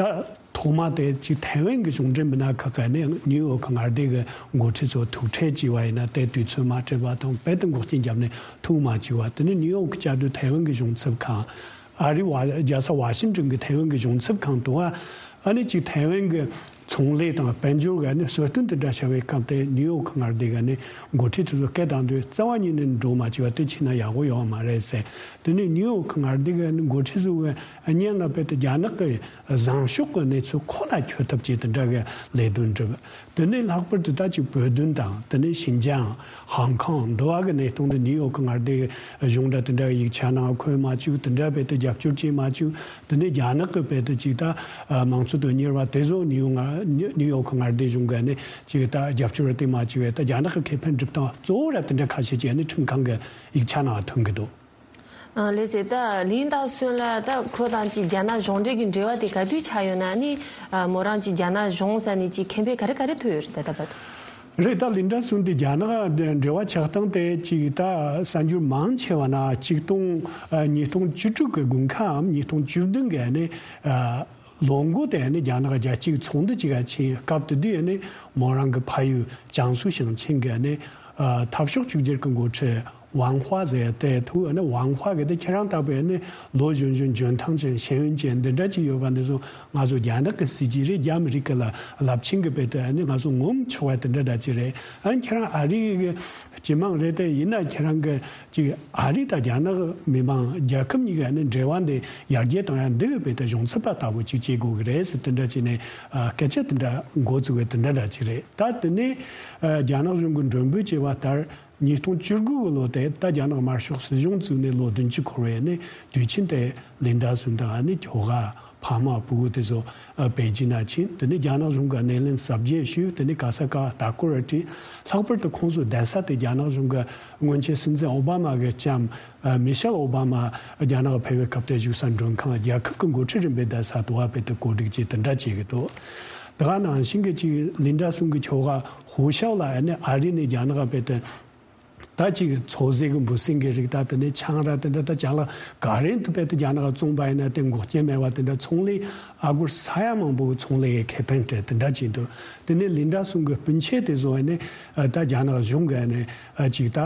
ཐོག་མ་དེ་ཅིག་ཐའེ་ཝན་གྱི་གཞུང་འབྲེལ་མི་སྣ་ཁག་གིས་ནི་ནིའུ་ཡོག་མངའ་སྡེ་གི་འགོ་ཁྲིད་ཚོ་ཐུག་འཕྲད་བྱས་པ་ཡིན་ན་དེ་དུས་ཚོད་མ་སྤྲད་པ་དང་རྦད་དེ་འགོག་རྐྱེན་བརྒྱབ་ནས་ཐུག་མ་བཅུག་པ། དེ་ནི་ནིའུ་ཡོག་གི་བཅའ་སྡོད་ཐའེ་ཝན་གྱི་གཞུང་ཚབ་ཁང་། ཨ་རི་བ་རྒྱལ་ས་ཝ་ཤིང་ཏོན་གྱི་ཐའེ་ཝན་གྱི་གཞུང་ཚབ་ཁང་དུ་བ་ཨ་ནི་ཅིག་ཐའེ་ཝན་གྱི་ཚོང་ལས་དང་དཔལ་འབྱོར་གྱི་ཨ་ནི་གསོལ་སྟོན་དེ་འདྲ་བྱ་བའི་སྐབས་དེ་ནིའུ་ཡོག་མངའ་སྡེ་གི་ཨ་ནི་འགོ་ཁྲིད་ཚོ་སྐད་བཏང་དུས་རྩ་བ་ཉིད་ནས་འགྲོ་མ་བཅུག་པ་དེ་ཕྱིན་ན་ཡག་པོ་ཡོད་མ་རེད་ཟེར། དེ་ནི་ནིའུ་ཡོག་མངའ་སྡེ་གི་ཨ་ནི་འགོ་ཁྲིད་ཚོ་གི་སྙན་ངག་དཔེ་དེ་རྒྱ་ནག་གི་བཟང་ཕྱོགས་ཀྱི་གནས་ཚུལ་ཁོ་ན་འཁྱོལ་ཐབས་ཀྱི་དེ་འདྲ་གི་ལས་དོན་བསྒྲུབས། དེ་ནས་ལྷག་པར་དུ་ད་ཅིག་བོད་དོན་དང་དེ་ནས་ཤིན་ཅང་ཧང་ཀང་འདི་བ་གི་གནས་སྟངས་དེ་ནིའུ་ཡོག་མངའ་སྡེ་གི་གཞུང་འདྲ་དེ་འདྲ་གི་ཡིག་ཆ་ནང་འཁོད་མ་བཅུག་དེ་འདྲ་བས་དེ་རྒྱབ་སྐྱོར་བྱེད་མ་བཅུག་དེ་ནས་རྒྱ་ནག་གི་བས་དེ་ཅིག་ད་མང་གཙོ་དོན་གཉེར་བ་དེ་ཚོ་ནིའུ་ཡོག་མངའ་ནིའུ་ཡོག་མངའ་སྡེ་གཞུང་གི་ནས་ཅིག་ད་རྒྱབ་སྐྱོར་དེ་མ་བཅུག་བས་ད་རྒྱ་ནག་གི་ཁེ་ཕན་སྒྲུབ་སྟངས་གཙོ་བོ་ར་དེ་འདྲ་ཁ་ཤས་ཅིག་ནི་ཁྲིམས་ཁང་གི་ཡིག་ཆ་ནང་ཐོན་གི་འདུག་ཨ། ལགས་སེ། ད་ལིན་ཏ་སུན་ལ་ད་ཁོ་དང་ཅིག་རྒྱ་ནག་གཞུང་འབྲེལ་གྱི་འབྲེལ་བ་དེ་ག་དུས་ཆགས་ཡོད་ན་ནི། ཨ། མོ་རང་ཅིག་རྒྱ་ནག་གཞུང་ས་ནས་ཅིག་ཁེ་ཕན་ག་རེ་ག་རེ་ཐོབ་ཡོད་རེད་ད་ལྟ་བར་དུ། རེད། ད་ལིན་ཏ་སུན་དེ་རྒྱ་ནག་འབྲེལ་བ་ཆགས་སྟངས་དེ་ཅིག་ད་གསར་འགྱུར་མང་ཆེ་བ་ན་ཆིག་སྟོང་ཨ་ཉིས་སྟོང་བཅུ་དྲུག་གི་དགུན་ཁའམ་ཉིས་སྟོང་བཅུ་བདུན་གི་ནི་ཨ་ལོ་འགོ་དེ་ནི་རྒྱ་ནག་རྒྱལ་སྤྱིའི་ཚོགས་འདུ་ཅིག་ག་ཕྱིན་སྐབས་དེ་དུས་ནི་མོ་རང་གི་ཕ་ཡུལ་ཅང་སུའུ་ཞིང་ཆེན་གི་ནི་ཨ་འཐབ་ཕྱོགས་གཅིག་གྱུར་གྱི་འགོ་ཁྲིད་ཝང་ཧྭ་ཟེར་ཏེ་ཐུག་ནི་ཝང་ཧྭ་གི་དེ་ཁྱེད་རང་ལྟ་བུའི་ནི་ལོ་གཞོན་གཞོན་འཇོན་ཐང་ཅན་ཤེས་ཡོན་ཅན་འདི་འདྲ་ཅིག་ཡོད་པ་འདི་ཚོ་ང་ཚོ་རྒྱ་ནག་གི་སྲིད་ཇུས་རེད། རྒྱ་མི་རིགས་ཀྱི་ལ་རླབས་ཆེན་གྱི་བེད་དེ་ནི་ང་ཚོ་ངོམ་ཆོག་པ་དེ་འདྲ་འདྲ་ཅིག་རེད། ཨ་ནི་ཁྱེད་རང་ཨ་རི་གི་སྤྱི་དམངས་རེད། དེ་ཡིན་ན་ཁྱེད་རང་གི་ཅིག་ཨ་རི་དང་རྒྱ་ནག་མི་དམངས་རྒྱལ་ཁབ་གཉིས་ཀྱི་ནི་འབྲེལ་བ་འདི་ཡར་རྒྱས་བཏང་ཡ་འདི་གི་བེད་དེ་གཞུང་ཚབ་པ་ལྟ་བུ་ཅིག་བྱེད་དགོས་ཀྱི་རེད་ཟེར་དེ་འདྲ་ཅིག་ནས་ཨ་སྐད་ཆ་དེ་འདྲ་འགོ་བཙུགས་པའི་དེ་འདྲ་འདྲ་ཅིག་རེད། ད་དེ་ནས་ཨ་རྒྱ་ནག་གཞུང་གི་མགྲོན་འབོད་བྱས་པ་ལྟར། ཉིས་སྟོང་བཅུ་དགུ་གི་ལོ་དེ་ད་རྒྱ་ནག་དམར་ཤོག་སྲིད་གཞུང་བཙུགས་ནས་ལོ་བདུན་ཅུ་འཁོར་བའི་ནི་དུས་ཆེན་དེ་ལིན་ཏ་སུན་དང་ནི་ཁྱོ་ག་ཕ་མ་ཕྲུ་གུ་དེ་ཚོ་ཨ་པེ་ཅིན་ན་ཕྱིན། དེ་ནི་རྒྱ་ནག་གཞུང་གི་སྣེ་ལེན་གཟབ་རྒྱས་ཞུས། དེ་ནི་ག་ས་ག་ལྟ་སྐོར་བྲིས། ལྷག་པར་དུ་ཁོང་ཚོའི་བསྡད་ས་དེ་རྒྱ་ནག་གཞུང་གི་སྔོན་ཆད་སྲིད་འཛིན་ཨོ་བྷ་མ་གི་ལྕམ་ཨ་མི་ཤེལ་ཨོ་བྷ་མ་རྒྱ་ནག་ཕེབས་པའི་སྐབས་དེ་བཞུགས་ས་མགྲོན་ཁང་རྒྱལ་ཁབ་ཀྱི་འགོ་ཁྲིད་རིམ་པས་བསྡད་ས་དུ་བ་བེད་དེ་གོ་སྒྲིག་བྱས་དེ་འདྲ་བྱེད་ཀྱི་འདུག་དེ་ག་ནང་བཞིན་གྱི་ཅིག་ལིན་ཏ་སུན་གྱི་ཁྱོ་ག་ཧུའུ་ཤའོ་ལ་ཨ་ནི་ཨ་རི་ནས་རྒྱ་ནག་བེད་དེ། ད་ཅིག་མཚོ་ཟས་ཀྱི་འབུ་སྲིན་གྱི་རིགས་ད་དེ་ནས་ཆང་ར་དེ་འདྲ་ད་ཅ་ལག་ག་རེ་འདི་བེད་དེ་རྒྱ་ནག་བཙོང་པ་ཡིན་ན་དེ་འགོག་རྐྱེན་མེད་པ་དེ་འདྲ་ཚོང་ལས་ཨ་སྒོར་ས་ཡ་མང་པོ་གི་ཚོང་ལས་ཀྱི་ཁེ་ཕན་སྤྲད་དེ་འདྲ་ཅིག་འདུག་དེ་ནས་ལིན་ཏ་སུན་གྱི་སྤུན་མཆེད་དེ་ཚོ་ནས་ད་རྒྱ་ནག་གཞུང་གི་ནས་ཅིག་ད་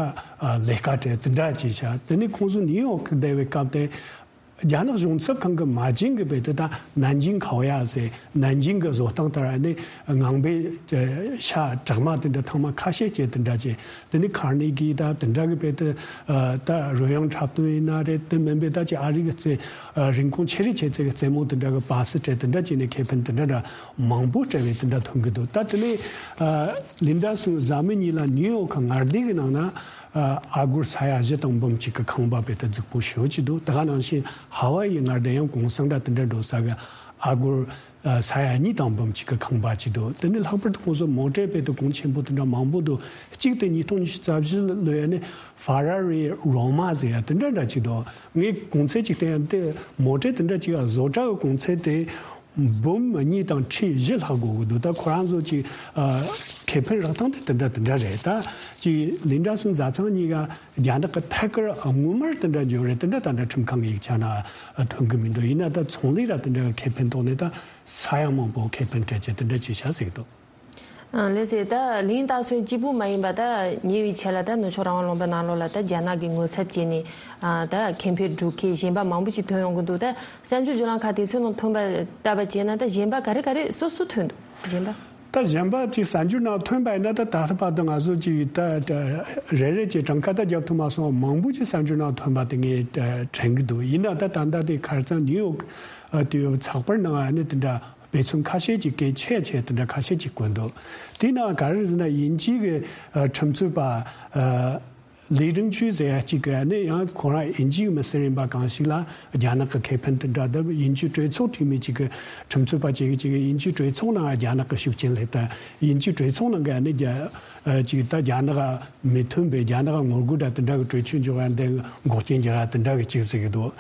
ལས་ཀ་སྤྲད་དེ་འདྲ་ཅིག་བྱ། དེ་ནས་ཁོང་ཚོ་ནིའུ་ཡོག་གི་བསྡད་པའི་སྐབས་དེ། རྒྱ་ནག་གཞུང་ཚབ་ཁང་གི་མ་བྱན་གྱི་བེད་དེ་ད་ནན་ཅིང་ཁའོ་ཡ་ཟེར་ནན་ཅིང་གི་བཟོ་སྟངས་ལྟར་ནི་ངང་པའི་ཤ་དྲག་མ་དེ་འདྲ་ཐེངས་མ་ཁ་ཤས་བྱས་དེ་འདྲ་བྱས། དེ་ནི་ཁར་ནེ་གི་ད་དེ་འདྲ་གི་བེད་དེ་ད་རོལ་དབྱངས་འཁྲབ་སྟོན་ཡིན་ན་རེད། དེ་མིན་པའི་ད་ཅིག་ཨ་རི་གི་རྩེ་རིན་གོང་ཆེ་རིགས་ཆེ་ཚད་ཀྱི་རྩེད་མོ་དེ་འདྲ་གི་པ་སེ་སྤྲད་དེ་འདྲ་བྱས་ནས་ཁེ་ཕན་དེ་འདྲ་འདྲ་མང་པོ་སྤྲད་པའི་དེ་འདྲ་ཐོན་གི་འདུག་ད་དེ་ནས་ལིན་ཏ་སུན་གཟའ་མིག་གཉིས་ལ་ནིའུ་ཡོག་གི་མངའ་སྡེ་གི་ནང་ན། ཨ་སྒོར་ས་ཡ་བཞི་དང་འབུམ་གཅིག་གི་ཁང་པ་དཔེ་དེ་རྫིག་པོ་ཞེ་པོ་ཅིག་འདུག། དེ་ག་ནང་བཞིན་ཧ་ཝའི་ཡི་ངར་དེ་ཡང་གུང་སེང་འདྲ་དེ་འདྲ་འགྲོ་ས་གི་ཨ་སྒོར་ས་ཡ་གཉིས་དང་འབུམ་གཅིག་གི་ཁང་པ་ཅིག་འདུག། དེ་ནི་ལྷག་པར་དུ་ཁོང་ཚོ་མོ་ཊའི་དཔེ་དེ་གོང་ཆེན་པོ་དེ་འདྲ་མང་པོ་འདུག། གཅིག་དེ་ཉིས་སྟོང་ཉི་ཤུ་རྩ་བཞི་ལོ་ཡ་ནི་ཧྥ་ར་རི་རོ་མ་ཟེར་ཡ་དེ་འདྲ་འདྲ་ཅིག་འདུག། ངས་གོང་ཚད་ཅིག་བསྟན་ཡ་དེ་མོ་ཊའི་དེ་འདྲ་ཅིག་བཟོ་གྲྭ་གི་གོང་ཚད་དེ། འབུམ་གཉིས་དང་ཁྲི་བཞི་ལྷག་དགོས་ཀྱི་འདུག། ད་ཁོ་རང་ཚོ་ཅིག་ཨ་ཁེ་ཕན་རག་སྟངས་དེ་དེ་འདྲ་དེ་འདྲ་རེད། ད་ཅིག་ལིན་ཌ་སུན་བཟའ་ཚང་གཉིས་ཀ་རྒྱ་ནག་གི་ཐད་ཀར་དངུལ་དམར་དེ་འདྲ་འབྱོར་རེད། དེ་འདྲ་ད་འདྲ་ཁྲིམས་ཁང་གི་ཡིག་ཆ་ན་ཐོན་གི་མི་འདུག། ཡིན་ན་ད་ཚོང་ལས་ར་དེ་འདྲ་གི་ཁེ་ཕན་ཐོག་ནས་ད་ས་ཡ་མང་པོ་ཁེ་ཕན་སྤྲད་བྱས་དེ་འདྲ་ཅིག་བྱ་ཟེར་གི་འདུག། ཨ་ལགས་སེ། ད་ལིན་ཌ་སུན་གཅིག་པུ་མ་ཡིན་པ་ད་ཉེ་བའི་ཆར་ལ་ད་ནུབ་ཕྱོགས་རང་དབང་ལུང་པ་ནང་ལོགས་ལ་ད་རྒྱ་ནག་གི་ངོ་ཚབ་བྱས་ནས་ཨ་ད་ཁེ་ཕན་སྒྲུབ་མཁན་གཞན་པ་མང་པོ་ཞིག་ཐོན་ཡོང་གི་འདུག། ད་གསར་འགྱུར་བརྒྱུད་ལམ་ཁག་དེ་ཚོའི་ནང་ཐོན་པ་ལྟ་བ་བྱས་ན་ད་གཞན་པ་ག་རེ་ག་རེ་སུ་སུ་ཐོན་འདུག། གཞན་པ། ད་གཞན་པ་ཅིག་གསར་འགྱུར་ནང་ཐོན་པ་ཡིན་ན་ད་ད་ལྟ་བར་དུ་ང་ཚོ་ཅིག་ད་ད་རེ་རེ་ཅིག་གྲངས་ཀ་ད་རྒྱབ་ཐུབ་མ་སོང་། མང་པོ་ཅིག་གསར་འགྱུར་ནང་ཐོན་པ་དེ་ངས་ད་དྲན་གི་འདུག། ཡིན་ན་ད་ད་ལྟ་དེ་ཁ་རྩང་ནིའུ་ཡོག་ཨ་དེ་ཚགས་པར་ནང་ཨ་ནི་དེ་འདྲ་དཔེ་མཚོན་ཁ་ཤས་ཅིག་གལ་ཆེ་ཆེ་དེ་འདྲ་ཁ་ཤས་ཅིག་བཀོད་འདུག། དེའི་ནང་ག་རེ་ཟེར་ན་དབྱིན་ཇི་གི་ཨ་ཁྲིམས་རྩོད་པ་ཨ་ལི་ཀྲིང་ཅུའུ་ཟེར་ཡ་གཅིག་གིས་ཨ་ནི་ཡང་ཁོ་རང་དབྱིན་ཇིའི་མི་སེར་ཡིན་པ་གང་ཞིག་ལ་རྒྱ་ནག་གི་ཁེ་ཕན་དེ་འདྲ་དང་དབྱིན་ཇིའི་གྲོས་ཚོགས་འཐུས་མི་གཅིག་གིས་ཁྲིམས་རྩོད་པ་གཅིག་གིས་གཅིག་གིས་དབྱིན་ཇིའི་གྲོས་ཚོགས་ནང་རྒྱ་ནག་གི་ཤུགས་རྐྱེན་སླེབས་ད་དབྱིན་ཇིའི་གྲོས་ཚོགས་ནང་གི་ཨ་ནི་རྒྱ་ཨ་ཅིག་ད་རྒྱ་ནག་མི་མཐུན་པའི་རྒྱ་ནག་ངོ་རྒོལ་འདྲ་དེ་འདྲ་གི་གྲོས་ཆོད་འཇོག་ཡ་འདི་འགོག་རྐྱེན་རྒྱག་ཡ་དེ་འདྲ་གི་གཅིག་ཟེར་གི་འདུག།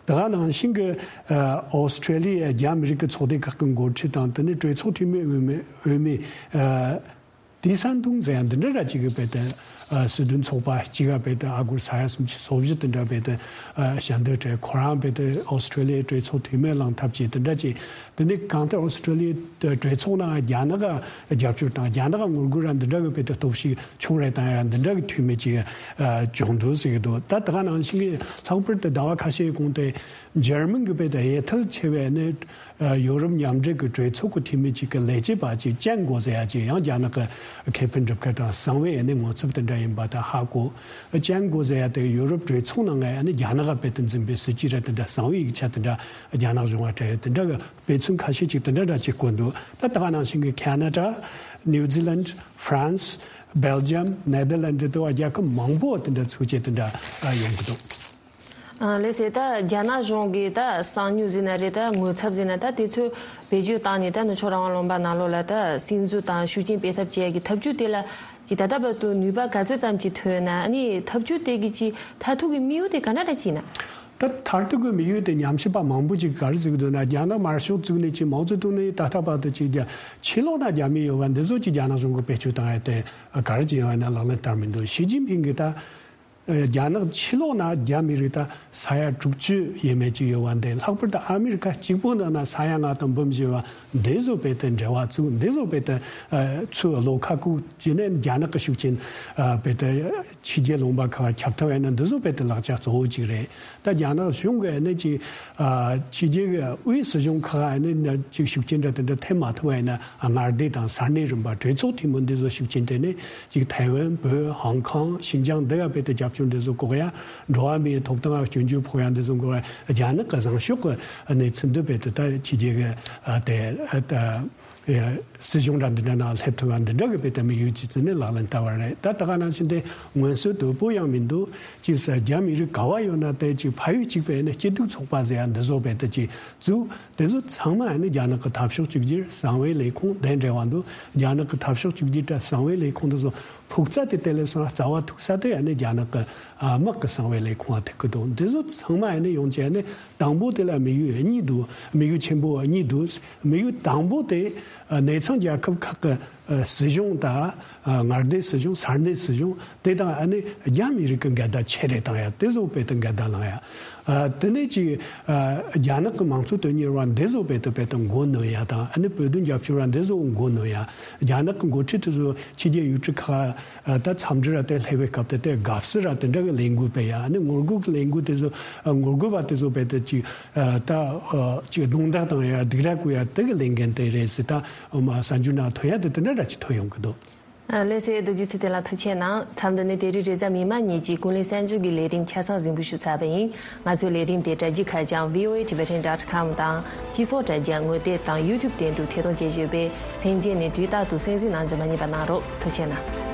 དེ་ག་ནང་བཞིན་གི་ཨ་ཨོ་སི་ཀྲེ་ལི་ཡ་རྒྱ་མི་རིགས་ཀྱི་ཚོགས་སྡེ་ཁག་གི་འགོ་ཁྲིད་དང་དེ་ནས་གྲོས་ཚོགས་འཐུས་མི་འོས་མི་འོས་མི་ཨ་ཏི་སན་ཏུང་ཟེར་ཡ་འདི་འདྲ་ར་གཅིག་གི་དཔེ་དེ་ཨ་སྲིད་དོན་ཚོགས་པ་གཅིག་ག་དཔེ་དེ་ཨ་སྒོར་ས་ཡ་སུམ་ཅུ་སོ་བཞི་དེ་འདྲ་དཔེ་དེ་ཨ་ཞལ་འདེབས་སྤྲད། ཁོ་རང་དཔེ་དེ་ཨོ་སི་ཀྲེ་ལི་ཡའི་གྲོས་ཚོགས་འཐུས་མི་ལངས་ཐབས་བྱས་དེ་འདྲ་བྱས། དེ་ནས་གང་ལྟར་ཨོ་སི་ཀྲེ་ལི་ཡའི་གྲོས་ཚོགས་ནང་རྒྱ་ནག་ག་རྒྱབ་སྐྱོར་དང་རྒྱ་ནག་ག་ངོ་རྒོལ་ར་འདི་འདྲ་གི་དཔེ་དེ་སྟོབས་ཤུགས་ཆུང་རེ་བཏང་ཡ་འདི་འདྲ་གི་འཐུས་མི་ཅིག་ཨ་བྱུང་འདུག་ཟེར་གི་འདུག། ད་དེ་ག་ནང་བཞིན་གི་ལྷག་པར་དུ་ཟླ་བ་ཁ་ཤས་གོང་དེ་འཇར་མན་གི་དཔེ་དེ་ཡ་ཐལ་ཆེ་བའི་ནི་ཨ་ཡོ་རོབ་མཉམ་འབྲེལ་གྱི་གྲོས་ཚོགས་ཀྱི་འཐུས་མི་གཅིག་གི་ལས་བྱེད་པ་གཅིག་ཅན་གོ་ཟེར་ཡ་གཅིག་ཡང་རྒྱ་ནག་གི་ཁེ་ཕན་སྒྲུབ་མཁན་དང་གསང་བའི་ཨ་ནི་ངོ་ཚབ་དེ་འདྲ་ཡིན་པ་དང་ཧ་གོ། ཅན་གོ་ཟེར་ཡ་དེ་ཡོ་རོབ་གྲོས་ཚོགས་ནང་ང་ཨ་ནི་རྒྱ་ནག་ག་དཔེ་དེ་འཛིན་པའི་སྲིད་ཇུས་ར་དེ་འདྲ་གསང་བའི་ཡིག་ཆ་དེ་འདྲ་རྒྱ་ནག་གཞུང་ང་སྤྲད་ཡ་དེ་འདྲ་གི་དཔེ་མཚོན་ཁ་ཤས་ཅིག་དེ་འདྲ་འདྲ་ཅིག་བཀོད་འདུག། ད་ད་ག་ནང་བཞིན་གི་ཁེ་ན་ཌ། ནིའུ་ཛི་ལན། ཧྥ་རན་སི། སྦེལ་ཇམ། ནེ་དར་ལན་ཌི་དེ་བ་རྒྱལ་ཁབ་མང་པོ་དེ་འདྲ་ཚུགས་ཆེད་དེ་འདྲ་ཡོང་གི་འདུག། ཨ་ལགས་སེ། ད་རྒྱ་ནག་གཞུང་གིས་ད་གསང་ཉུལ་ཟེར་ན་རེད། ད་ངོ་ཚབ་ཟེར་ན་ད་དེ་ཚོ་བེད་སྤྱོད་བཏང་ནས་ད་ནུབ་ཕྱོགས་རང་དབང་ལུང་པ་ནང་ལོགས་ལ་ད་སིམ་འཛུལ་དང་ཤུགས་རྐྱེན་སྤེལ་ཐབས་བྱེད་ཡ་གི་ཐབས་ཇུས་དེ་ལ་ཅིག་ད་ལྟ་བར་དུ་ནུས་པ་ག་ཚོད་ཙམ་ཅིག་ཐོན་ན། ཨ་ནི་ཐབས་ཇུས་དེ་གི་ཅིག་མཐར་ཐུག་གི་དམིགས་ཡུལ་དེ་ག་འདྲ་འདྲ་ཅིག་ཡིན་ན། ད་མཐར་ཐུག་གི་དམིགས་ཡུལ་དེ་ཉམས་ཞིབ་པ་མང་པོ་ཅིག་ག་རེ་ཟེར་གི་འདུག་ན། རྒྱ་ནག་དམར་ཤོག་བཙུགས་ནས་ཅིག་མའོ་ཙེ་ཏུང་ནས་ད་ལྟ་བར་དུ་ཅིག་རྒྱ་ཕྱི་ལོགས་ན་རྒྱ་མི་ཡོད་པ་འདི་ཚོ་ཅིག་རྒྱ་ནག་གཞུང་གིས་བེད་སྤྱོད་བཏང་ཡ་དེ་ག་རེ་ཅིག་ཡོད་ན་ལག་ལེན་བསྟར་མི་འདུག། ཞི་ཅིན་ཕིང་གིས་ད་རྒྱ་ནག་ཕྱི་ལོགས་ན་རྒྱ་མི་རིགས་ད་ས་ཡ་དྲུག་ཅུ་ཡས་མས་ཅིག་ཡོད་པ་འདི། ལྷག་པར་དུ་ཨ་མི་རི་ཀ་གཅིག་པོ་ནང་ན་ས་ཡ་ལྔ་དང་འབུམ་བཞི་བ་འདི་བཟོ་བས་དེ་འབྲེལ་བ་བཙུགས། འདི་བཟོ་བས་དེ་ཚུར་བློ་ཁ་ཁུག་བྱས་ནས་རྒྱ་ནག་གི་ཤུགས་རྐྱེན་བས་དེ་ཕྱི་རྒྱལ་ལུང་པ་ཁག་ལ་ཁྱབ་ཐུབ་པ་ཡིན་ན་འདི་བཟོ་བས་དེ་ལག་ཆ་གཙོ་བོ་ཅིག་རེད། ད་རྒྱ་ནག་གཞུང་གིས་ནི་ཅིག་ཨ་ཕྱི་རྒྱལ་གྱི་དབུས་སྲིད་གཞུང་ཁག་ནི་ཅིག་ཤུགས་རྐྱེན་འདྲ་དེ་འདྲ་ཐེབས་མ་ཐུབ་པ་ཡིན་ན། མངའ་སྡེ་དང་ས་གནས་རིམ་པ་གྲོས་ཚོགས་འཐུས་མི་འདི་ཚོ་ཤུགས་རྐྱེན་དེ་ནི་ཅིག་ཐའེ་ཝན། བོད། ཧོང་ཀོང་། ཤིན་ཅང་འདི་ག་བས་དེ་རྒྱབ་སྐྱོར་འདི་ཚོ་འགོག་ཡ། འགྲོ་བ་མིའི་ཐོབ་ཐང་སྐྱོན་བརྗོད་ཕོག་ཡ་འདི་ཚོ་འགོག་ཡ། རྒྱ་ནག་གི་བཟང་ཕྱོགས་ཀྱི་གནས་ཚུལ་འདི་བས་དེ་ད་ཕྱི་རྒྱལ་གྱི་ཨ་དེ་ཨ་ད། སྲིད་གཞུང་འདྲ་འདི་འདྲ་ནང་སླེབས་ཐུབ་པ་འདི་འདྲ་གི་དཔེ་དེ་དམིགས་ཡུལ་གྱི་ཚུལ་ནས་ལག་ལེན་བསྟར་བ་རེད། ད་ད་ག་ནང་བཞིན་དེ་མངོན་གསལ་དོད་པོ་ཡང་མི་འདུག། ཅིག་ས་རྒྱ་མི་རིགས་ག་བ་ཡོད་ན་དེ་ཅིག་ཕ་ཡུལ་གཅིག་པའི་ནི་སྐྱིད་སྡུག་ཚོགས་པ་ཟེར་ཡ་འདི་བཟོ་བས་དེ་ཅིག་བཙུགས། དེ་ཚོ་ཚང་མ་ནི་རྒྱ་ནག་གི་འཐབ་ཕྱོགས་གཅིག་གྱུར་གསང་བའི་ལས་ཁུངས་དེ་འབྲེལ་བ་འདུག། རྒྱ་ནག་གི་འཐབ་ཕྱོགས་གཅིག་གྱུར་དང་གསང་བའི་ལས་ཁུངས་འདི་ཚོ་ཕུགས་རྩ་དེ་དེ་ལས་སོང་རྩ་བ་ཐུག་ས་དེ་ནི་རྒྱ་ནག་གི་དམག་གི་གསང་བའི་ལས་ཁུངས་ཐུག་གི་འདུག། འདི་ཚོ་ཚང་མ་ནི་ཡོང་ཆེད་ནི་དང་པོ་དེ་ལ་དམིགས་ཡུལ་གཉིས་འདུག། དམིགས་ཡུལ་ཆེན་པོ་གཉིས་འདུག། དམིགས་ཡུལ་དང་པོ་དེ་ཨ་གནས་ཚང་རྒྱལ་ཁབ་ཁག་གི་ཨ་སྲིད་གཞུང་དང་། ཨ་མངའ་སྡེ་སྲིད་གཞུང་། ས་གནས་སྲིད་གཞུང་དེ་དང་ཨ་ནི་རྒྱ་མི་རིགས་ཀྱི་འགལ་ཟླ་ཆེ་རེ་བཏང་ཡ་དེ་བཟོ་བས་དེ་འགལ་ཟླ་ལངས་ཡ། ཨ་དེ་ནས་ཅིག་ཨ་རྒྱ་ནག་གི་མང་གཙོ་དོན་གཉེར་བ་འདི་བཟོ་བས་དེ་བས་དེ་མགོ་གནོན་ཡ་དང་། ཨ་ནི་བོད་དོན་རྒྱབ་སྐྱོར་བ་འདི་བཟོ་མགོ་གནོན་ཡ། རྒྱ་ནག་གི་འགོ་ཁྲིད་དེ་ཚོ་ཕྱི་རྒྱལ་ཡུལ་གྲུ་ཁག་ཨ་ད་འཚམས་འདྲི་ར་དེ་སླེབས་པའི་སྐབས་དེ་དེ་དགའ་བསུ་ར་དེ་འདྲ་གི་ལས་འགུལ་སྤེལ་ཡ། ཨ་ནི་ངོ་རྒོལ་གི་ལས་འགུལ་དེ་ཚོ་ཨ་ངོ་རྒོལ་བ་དེ་ཚོ་སྤེལ་དེ་ཅིག་ཨ་ད་ཨ་ཅིག་རྡུང་རྡེག་བཏང་ཡ། སྡིགས་ར་བསྐུལ་ཡ་དེ་གི་ལས་འགན་དེ་རེད་ཟེར། ད་ཨ་མ་གསར་འགྱུར་ནང་ཐོན་ཡ་དེ་དེ་འདྲ་ར་ཅིག་ཐོན་ཡོང་གི་འདུག། ཨ་ལགས་སེ། རྡོ་རྗེ་ཚེ་བརྟན་ལགས་ཐུགས་རྗེ་གནང་། མཚམས་འདི་ནས་དེ་རིང་རེས་གཟའ་མིག་དམར་ཉིན་གྱི་ཀུན་གླེང་གསར་འགྱུར་གྱི་ལས་རིམ་ཆ་ཚང་གཟིགས་འབུལ་ཞུས་ཚར་བ་ཡིན། ང་ཚོའི་ལས་རིམ་དེ་དྲ་རྒྱའི་ཁ་བྱང་V O A Tibetan dot com དང་། སྤྱི་ཚོགས་དྲ་རྒྱ་ངོ་དེབ་དང་YouTube སྟེང་དུ་ཐད་གཏོང་བྱེད་བཞིན་ཡོད་པས། ལྷན་རྒྱས་ནས་དུས་རྟག་ཏུ་གསན་གཟིགས་གནང་རྒྱུ་མ་བསྙེལ་བ་གནང་རོགས། ཐུགས་རྗེ་གནང་།